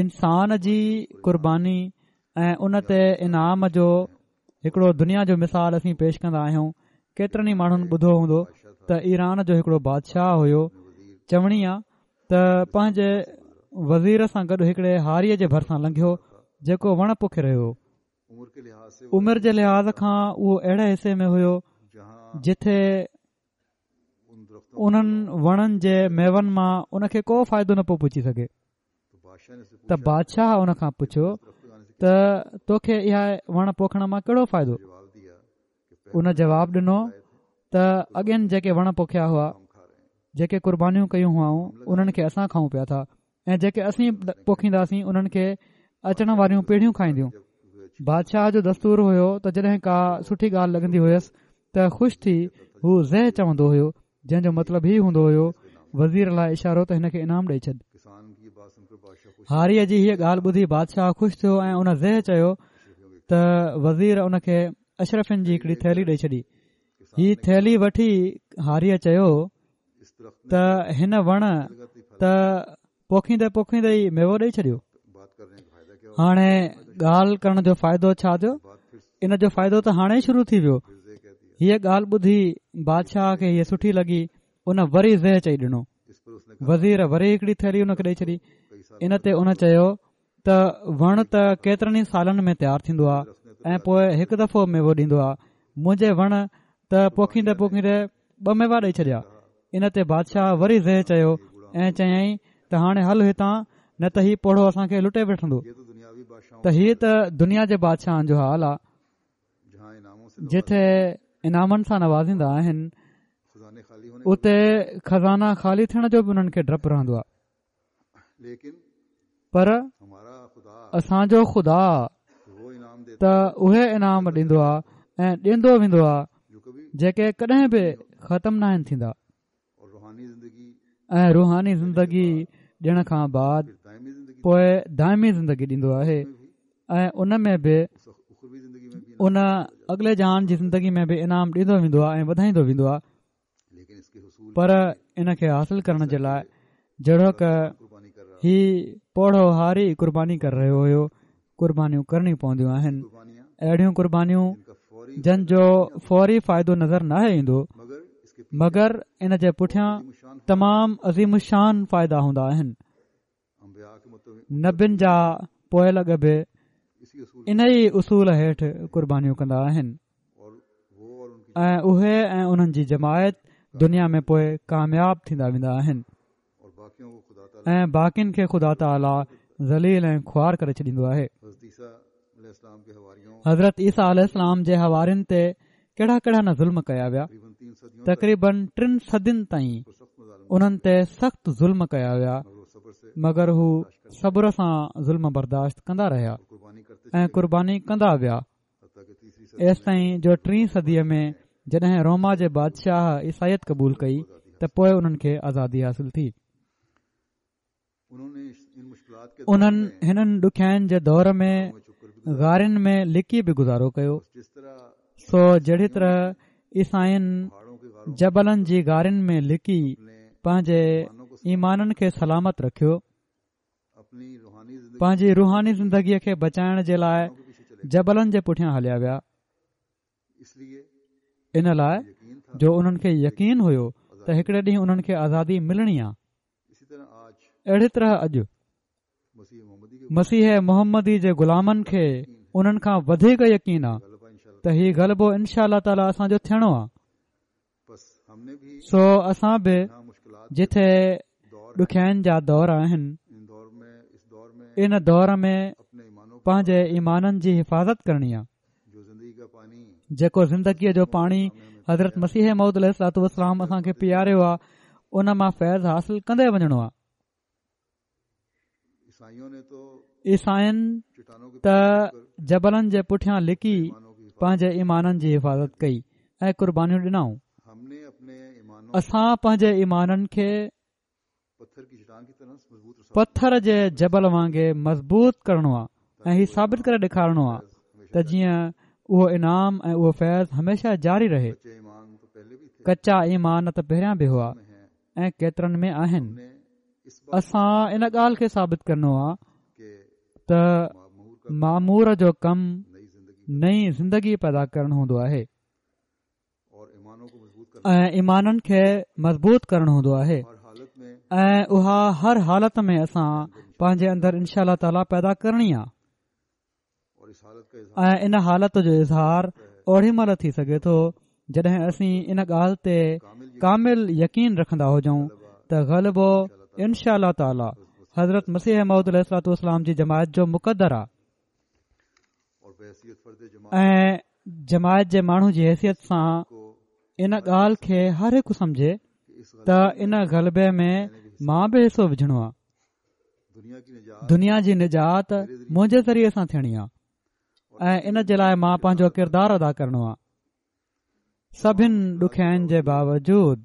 انسان جي قرباني ۽ ان تي انعام جو هڪڙو دنيا جو مثال اسين پيش ڪندا آهيون. ڪيترن ئي ماڻهن ٻڌو هوندو ته ايران جو هڪڙو بادشاهه هيو، چوڻي آ ته پنهنجي وزير سان گڏ هڪڙي هاريءَ جي ڀرسان لنگهيو جيڪو وڻ پوکي رهيو هو. عمر جي لحاظ کان اهو اهڙي حصي ۾ هيو جتي انهن وڻن جي ميون مان ان کي ڪو فائدو نه پيو پهچي سگهي. ته بادشاهه ان کان پڇيو ته توکي اها وڻ پوکڻ مان ڪهڙو فائدو؟ ان جواب ڏنو ته اڳين جيڪي وڻ پوکيا هئا، جيڪي قربانيون ڪيون هئائون، انهن کي اسان کائون پيا ٿا ۽ جيڪي اسين پوکينداسين انهن کي اچڻ واريون پيڙهيون کائينديون. بادشاهه جو دستور هيو ته جڏهن ڪا سٺي ڳالهه لڳندي هيس ته خوش ٿي هو زه چوندو هيو، جنهن جو مطلب هي هوندو هيو وزير لاءِ اشارو ته هن کي انعام ڏئي ڇڏ. هاريءَ جي هيءَ ڳالهه ٻڌي بادشاهه خوش ٿيو ۽ ان زه چيو ته وزير ان کي اشرفين جي هڪڙي ٿيلهي ڏئي ڇڏي. هي ٿيلهي وٺي هاريءَ چيو ته هن وڻ ته پوکيندي پوکيندي ئي ميوو ڏئي ڇڏيو. هاڻي ڳالهه ڪرڻ جو فائدو ڇا ٿيو؟ ان جو فائدو ته هاڻي ئي شروع ٿي ويو. هيءَ ڳالهه ٻڌي بادشاهه کي هيءَ سٺي لڳي، ان وري زه چئي ڏنو. وزير وري هڪڙي ٿيلهي ان کي ڏئي ڇڏي. ان تي ان چيو ته وڻ ته ڪيترن ئي سالن ۾ تيار ٿيندو آهي ۽ پوءِ هڪ دفعو ميوو ڏيندو آهي، منهنجي وڻ ته پوکيندي پوکيندي ٻه ميوا ڏئي ڇڏيا. ان تي بادشاهه وري زه چيو ۽ چيائين ته هاڻي هل هتان، نه ته هي پوڙهو اسان کي لٽي وٺندو. ته هيءَ ته دنيا جي بادشاهن جو حال آهي، جتي انعامن سان نوازيندا آهن اتي خزانا خالي ٿيڻ جو به انهن کي ڊپ رهندو آهي. پر اسان جو خدا ته اهي انعام ڏيندو آهي ۽ ڏيندو ويندو آهي جيڪي ڪڏهن به ختم نه آهن ٿيندا. ۽ روحاني زندگي ڏيڻ کان بعد پوءِ دائمي زندگي ڏيندو آهي ۽ ان ۾ به ان اڳلي جهان جي زندگي ۾ به انعام ڏيندو ويندو آهي ۽ وڌائيندو ويندو آهي. پر ان کي حاصل ڪرڻ جي لاءِ جهڙوڪ هي پوڙهو هاري قرباني ڪري رهيو هيو، قربانيون ڪرڻيون پونديون آهن. اهڙيون قربانيون جن جو فوري فائدو نظر ناهي ايندو، مگر ان جي پٺيان تمام عظيم الشان فائدا هوندا آهن. نبين جا پوئلڳ به ان ئي اصول هيٺ قربانيون ڪندا آهن ۽ اهي ۽ انهن جي جماعت دنيا ۾ پوءِ ڪامياب ٿيندا ويندا آهن ۽ باقين کي خدا تعاليٰ ذليل ۽ خوار ڪري ڇڏيندو آهي. حضرت عيسيٰ عليه السلام جي حوارين تي ڪهڙا ڪهڙا نه ظلم ڪيا ويا. تقريبن ٽن صدين تائين انهن تي سخت ظلم ڪيا ويا، مگر هو صبر سان ظلم برداشت ڪندا رهيا ۽ قرباني ڪندا ويا. ايستائين جو ٽين صديءَ ۾ جڏهن روما جي بادشاهه عيسائيت قبول ڪئي ته پوءِ انهن کي آزادي حاصل ٿي. انهن هنن ڏکيائين جي دور ۾ غارن ۾ لڪي به گذارو ڪيو. سو جهڙي طرح عيسائين جبلن جي غارن ۾ لڪي پنهنجي ايمانن کي سلامت رکيو، پنهنجي روحاني زندگيءَ کي بچائڻ جي لاءِ جبلن جي پٺيان هليا ويا، ان لاءِ جو انهن کي يقين هيو ته هڪڙي ڏينهن انهن کي آزادي ملڻي آهي. اهڙي طرح اڄ مسيح محمدي جي غلامن کي انهن کان وڌيڪ يقين آهي ته هي غلبو انشاء الله تعاليٰ اسان جو ٿيڻو آهي. سو اسان به جٿي ڏکيائين جا دور آهن، ان دور ۾ پنهنجي ايمانن جي حفاظت ڪرڻي آهي. جيڪو زندگيءَ جو پاڻي حضرت مسيح موعود عليه الصلوة والسلام اسان کي پياريو آهي، ان مان فيض حاصل ڪندي وڃڻو آهي. عيسائين ته جبلن جي پٺيان لڪي پنهنجي ايمانن جي حفاظت ڪئي ۽ قربانيون ڏنائون. اسان پنهنجي ايمانن کي پٿر جي جبل وانگي مضبوط ڪرڻو آهي ۽ هي ثابت ڪري ڏيکارڻو آهي ته جيئن اهو انعام ۽ اهو فيض هميشه جاري رهي. ڪچا ايمان ته پهريان به هئا ۽ ڪيترن ۾ آهن. اسان ان ڳالهه کي ثابت ڪرڻو آهي ته مامور جو ڪم نئين زندگي پيدا ڪرڻ هوندو آهي ۽ ايمانن کي مضبوط ڪرڻ هوندو آهي، ۽ اها هر حالت ۾ اسان پنهنجي اندر انشاء الله تعاليٰ پيدا ڪرڻي آهي. ۽ ان حالت جو اظهار اوڏي مهل ٿي سگهي ٿو جڏهن اسين ان ڳالهه تي ڪامل يقين رکندا هجون ته غلبو انشاء الله تعاليٰ حضرت مسيح موعود عليه الصلوة والسلام جي جماعت جو مقدر آهي ۽ جماعت جي ماڻهو جي حيثيت سان ان ڳالهه کي هر هڪ سمجهي ته ان غلبي ۾ مان به حصو وجهڻو آهي. دنيا جي نجات منهنجي ذريعي سان ٿيڻي آهي ۽ ان جي لاءِ مان پنهنجو ڪردار ادا ڪرڻو آهي. سڀني ڏکيائين جي باوجود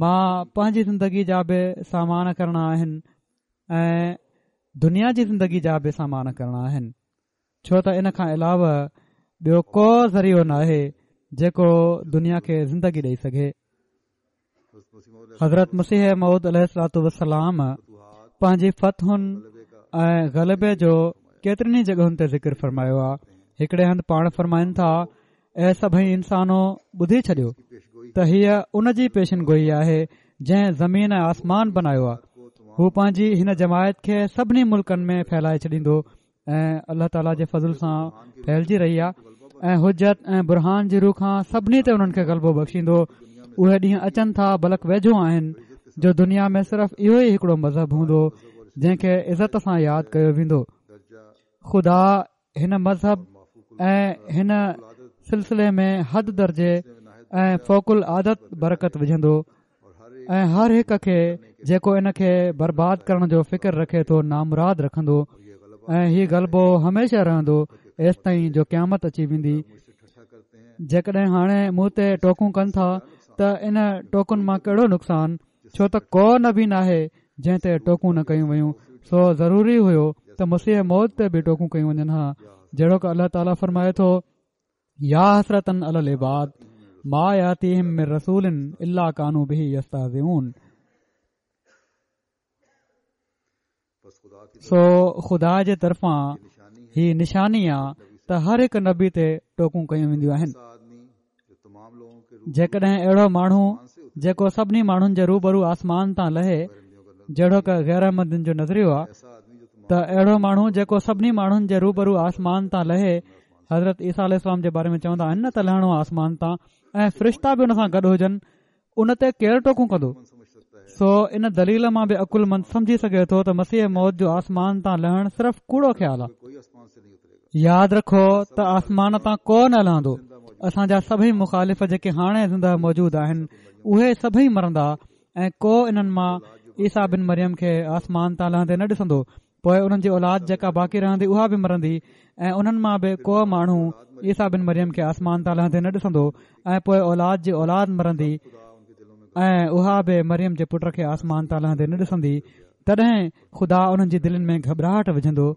مان پنهنجي زندگي جا به سامان ڪرڻا آهن ۽ دنيا جي زندگي جا به سامان ڪرڻا آهن، ڇو ته ان کان علاوه ٻيو ڪو ذريعو ناهي جيڪو دنيا کي زندگي ڏئي سگهي. حضرت مسيح موعود عليه الصلوة والسلام پنهنجي فتحن ۽ غلبي جو ڪيترين ئي جڳهن تي ذڪر فرمايو آهي. هڪڙي هنڌ پاڻ فرمائن ٿا، اي سڀئي انسانو ٻڌي ڇڏيو ته هيءَ ان جي پيشن گوئي آهي جنهن زمين ۽ آسمان بنايو آهي. هو پنهنجي هن جماعت کي سڀني ملڪن ۾ ڦهلائي ڇڏيندو ۽ الله تعاليٰ جي فضل سان ڦهلجي رهي آهي ۽ حجت ۽ برهان جي روح کان سڀني تي انهن کي غلبو بخشيندو. اهي ڏينهن اچن ٿا بلڪ ويجهو آهن جو دنيا ۾ صرف اهو ئي هڪڙو مذهب هوندو جنهن کي عزت سان ياد ڪيو ويندو. خدا هن مذهب ۽ هن سلسلي ۾ حد درجي ۽ فوق العادت برڪت وجهندو ۽ هر هڪ کي جيڪو ان کي برباد ڪرڻ جو فڪر رکي ٿو نامراد رکندو، ۽ هي غلبو هميشه رهندو ايستائين جو قيامت اچي ويندي. جيڪڏهن هاڻي مون تي ٽوڪون ڪن ٿا ته ان ٽوڪن مان ڪهڙو نقصان، ڇو ته ڪو نبي ناهي جنهن تي ٽوڪون نه ڪيون ويون. سو ضروري هيو ته مسيح موعود تي به ٽوڪون ڪيون وڃن ها، جهڙوڪ الله تعاليٰ فرمائي ٿو، يا حسرة علي العباد ما ياتيهم من رسول الا ڪانوا به يستهزئون. سو خدا جي طرفان هي نشاني آ ته هر هڪ نبي تي ٽوڪون ڪيون وينديون آهن. جيڪڏهن اهڙو ماڻهو جيڪو سڀني ماڻهن جي روبرو آسمان تان لهي، جهڙوڪ غير احمدين جو نظريو آ ته اهڙو ماڻهو جيڪو سڀني ماڻهن جي روبرو آسمان تان لهي، حضرت عيسيٰ عليه السلام جي باري ۾ چوندا آهن نه ته لهڻو آسمان تان ۽ فرشتا به ان سان گڏ هجن، ان تي ڪير ٽوڪون ڪندو؟ سو ان دليل مان به عقلمند سمجهي سگهي ٿو ته مسيح موعود جو آسمان تان لهڻ صرف ڪوڙو خيال آهي. ياد رکو ته آسمان تان ڪو نه لهندو. اسان جا سڀئي مخالف جيڪي هاڻي زنده موجود آهن اهي سڀئي مرندا ۽ ڪو انهن مان عيسيٰ بن مريم کي آسمان تان لهندي نه ڏسندو. پوءِ انهن جي اولاد جيڪا باقي رهندي اها به مرندي ۽ انهن مان به ڪو ماڻهو عيسيٰ بن مريم کي آسمان تان لهندي نه ڏسندو ۽ پوءِ اولاد جي اولاد مرندي ۽ اها به مريم جي پٽ کي آسمان تان لهندي نه ڏسندي. تڏهن خدا انهن جي دلين ۾ گهٻراهٽ وجهندو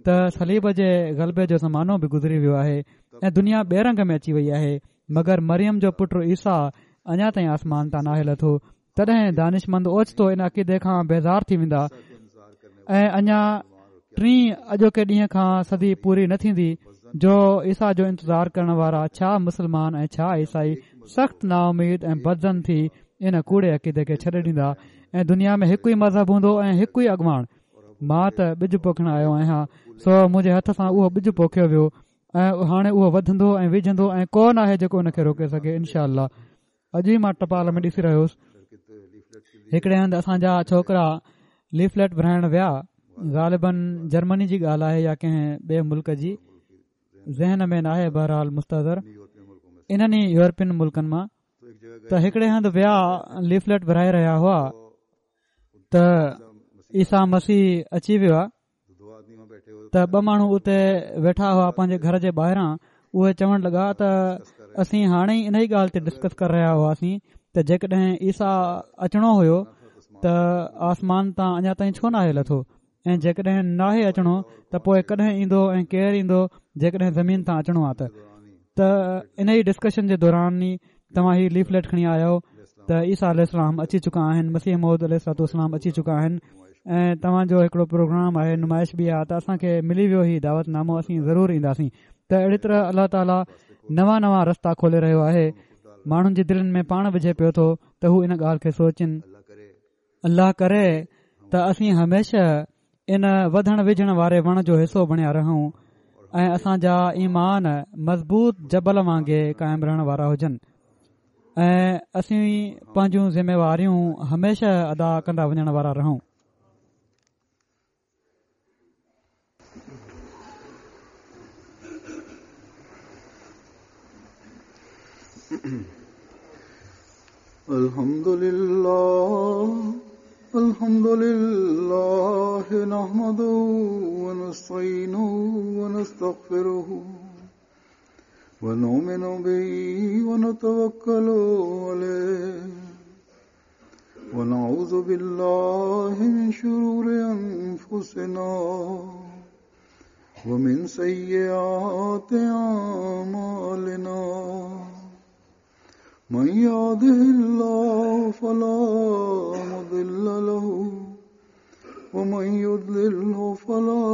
ته صليب جي غلبي جو زمانو به گذري ويو آهي ۽ دنيا ٻئي رنگ ۾ اچي وئي آهي، مگر مريم جو پٽ عيسيٰ اڃا تائين آسمان تان ناهي لٿو. تڏهن دانشمند اوچتو ان عقيدي کان بيزار ٿي ويندا ۽ اڃا ٽين اڄوڪي ڏينهن کان صدي پوري نه ٿيندي جو عيسيٰ جو انتظار ڪرڻ وارا ڇا مسلمان ۽ ڇا عيسائي سخت نااميد ۽ بدظن ٿي ان ڪوڙي عقيدي کي ڇڏي ڏيندا ۽ دنيا ۾ هڪ ئي مذهب هوندو ۽ هڪ ئي اڳواڻ. مان ته ٻج پوکڻ آيو آهيان، سو منهنجي هٿ سان اهو ٻج پوکيو ويو ۽ هاڻي اهو وڌندو ۽ وجهندو ۽ ڪو نه آهي جيڪو ان کي روڪي سگهي. انشاء الله اڄ ئي مان ٽپال ۾ ڏسي رهيو هوس، هڪڙي هنڌ اسان جا ڇوڪرا ليفليٽ ورهائڻ ويا، غالبن جرمني جي ڳالهه آهي يا ڪنهن ٻئي ملڪ جي، ذهن ۾ ناهي، بهرحال مستحضر انهن ئي يورپين ملڪن مان. ته هڪڙي هنڌ ويا، ليفليٽ ورهائي رهيا هئا ته عيسيٰ مسيح اچي ويو آهي. ته ٻه ماڻهو اتي ويٺا هئا پنهنجي گهر جي ٻاهران، اهي چوڻ لڳا ته اسين هاڻي ئي ان ئي ڳالهه تي ڊسڪس ڪري رهيا هئاسين ته جيڪڏهن عيسيٰ اچڻو هيو ته آسمان تان اڃا تائين ڇو ناهي لٿو، ۽ جيڪڏهن ناهي اچڻو ته پوءِ ڪڏهن ايندو ۽ ڪير ايندو جيڪڏهن زمين تان اچڻو آهي ته. ته ان ئي ڊسڪشن جي دوران ئي توهان هي ليفليٽ کڻي آيا آهيو ته عيسيٰ عليه السلام اچي چڪا آهن، مسيح موعود عليه الصلوة والسلام اچي چڪا آهن ۽ توهان جو هڪڙو پروگرام آهي، نمائش به آهي، ته اسان کي ملي ويو هي دعوت نامو، اسين ضرور اينداسين. ته اهڙي طرح الله تعاليٰ نوان نوان رستا کولي رهيو آهي، ماڻهن جي دلين ۾ پاڻ وجهي پيو ٿو ته هو ان ڳالهه کي سوچن. الله ڪري ته اسين هميشه ان وڌڻ ويجهڻ واري وڻ جو حصو بڻيا رهون ۽ اسان جا ايمان مضبوط جبل وانگي قائم رهڻ وارا هجن ۽ اسين پنهنجون ذميواريون هميشه ادا ڪندا وڃڻ وارا رهون. الحمد لله الحمد لله نحمده ونستعينه ونستغفره ونؤمن به ونتوكل عليه ونعوذ بالله من شرور أنفسنا ومن سيئات أعمالنا من يهده الله فلا مضل له ومن يضلله فلا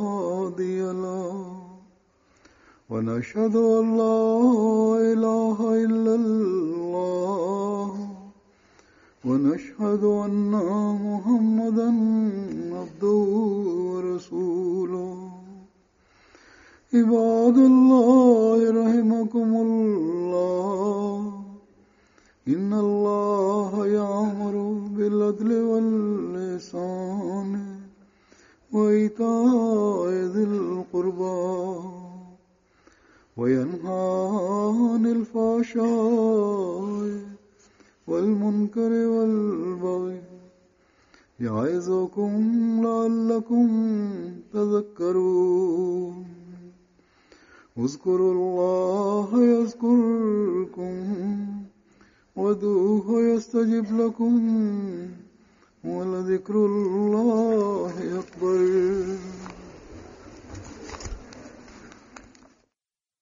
هادي له ونشهد أن لا إله إلا الله ونشهد أن محمدا عبده ورسوله. عباد الله رحمكم الله، إن الله يأمر بالعدل والإحسان وإيتاء ذي القربى وينهى عن الفحشاء والمنكر والبغي يعظكم لعلكم تذكرون. اذكروا الله يذكركم وادعوه يستجب لكم ولذكر الله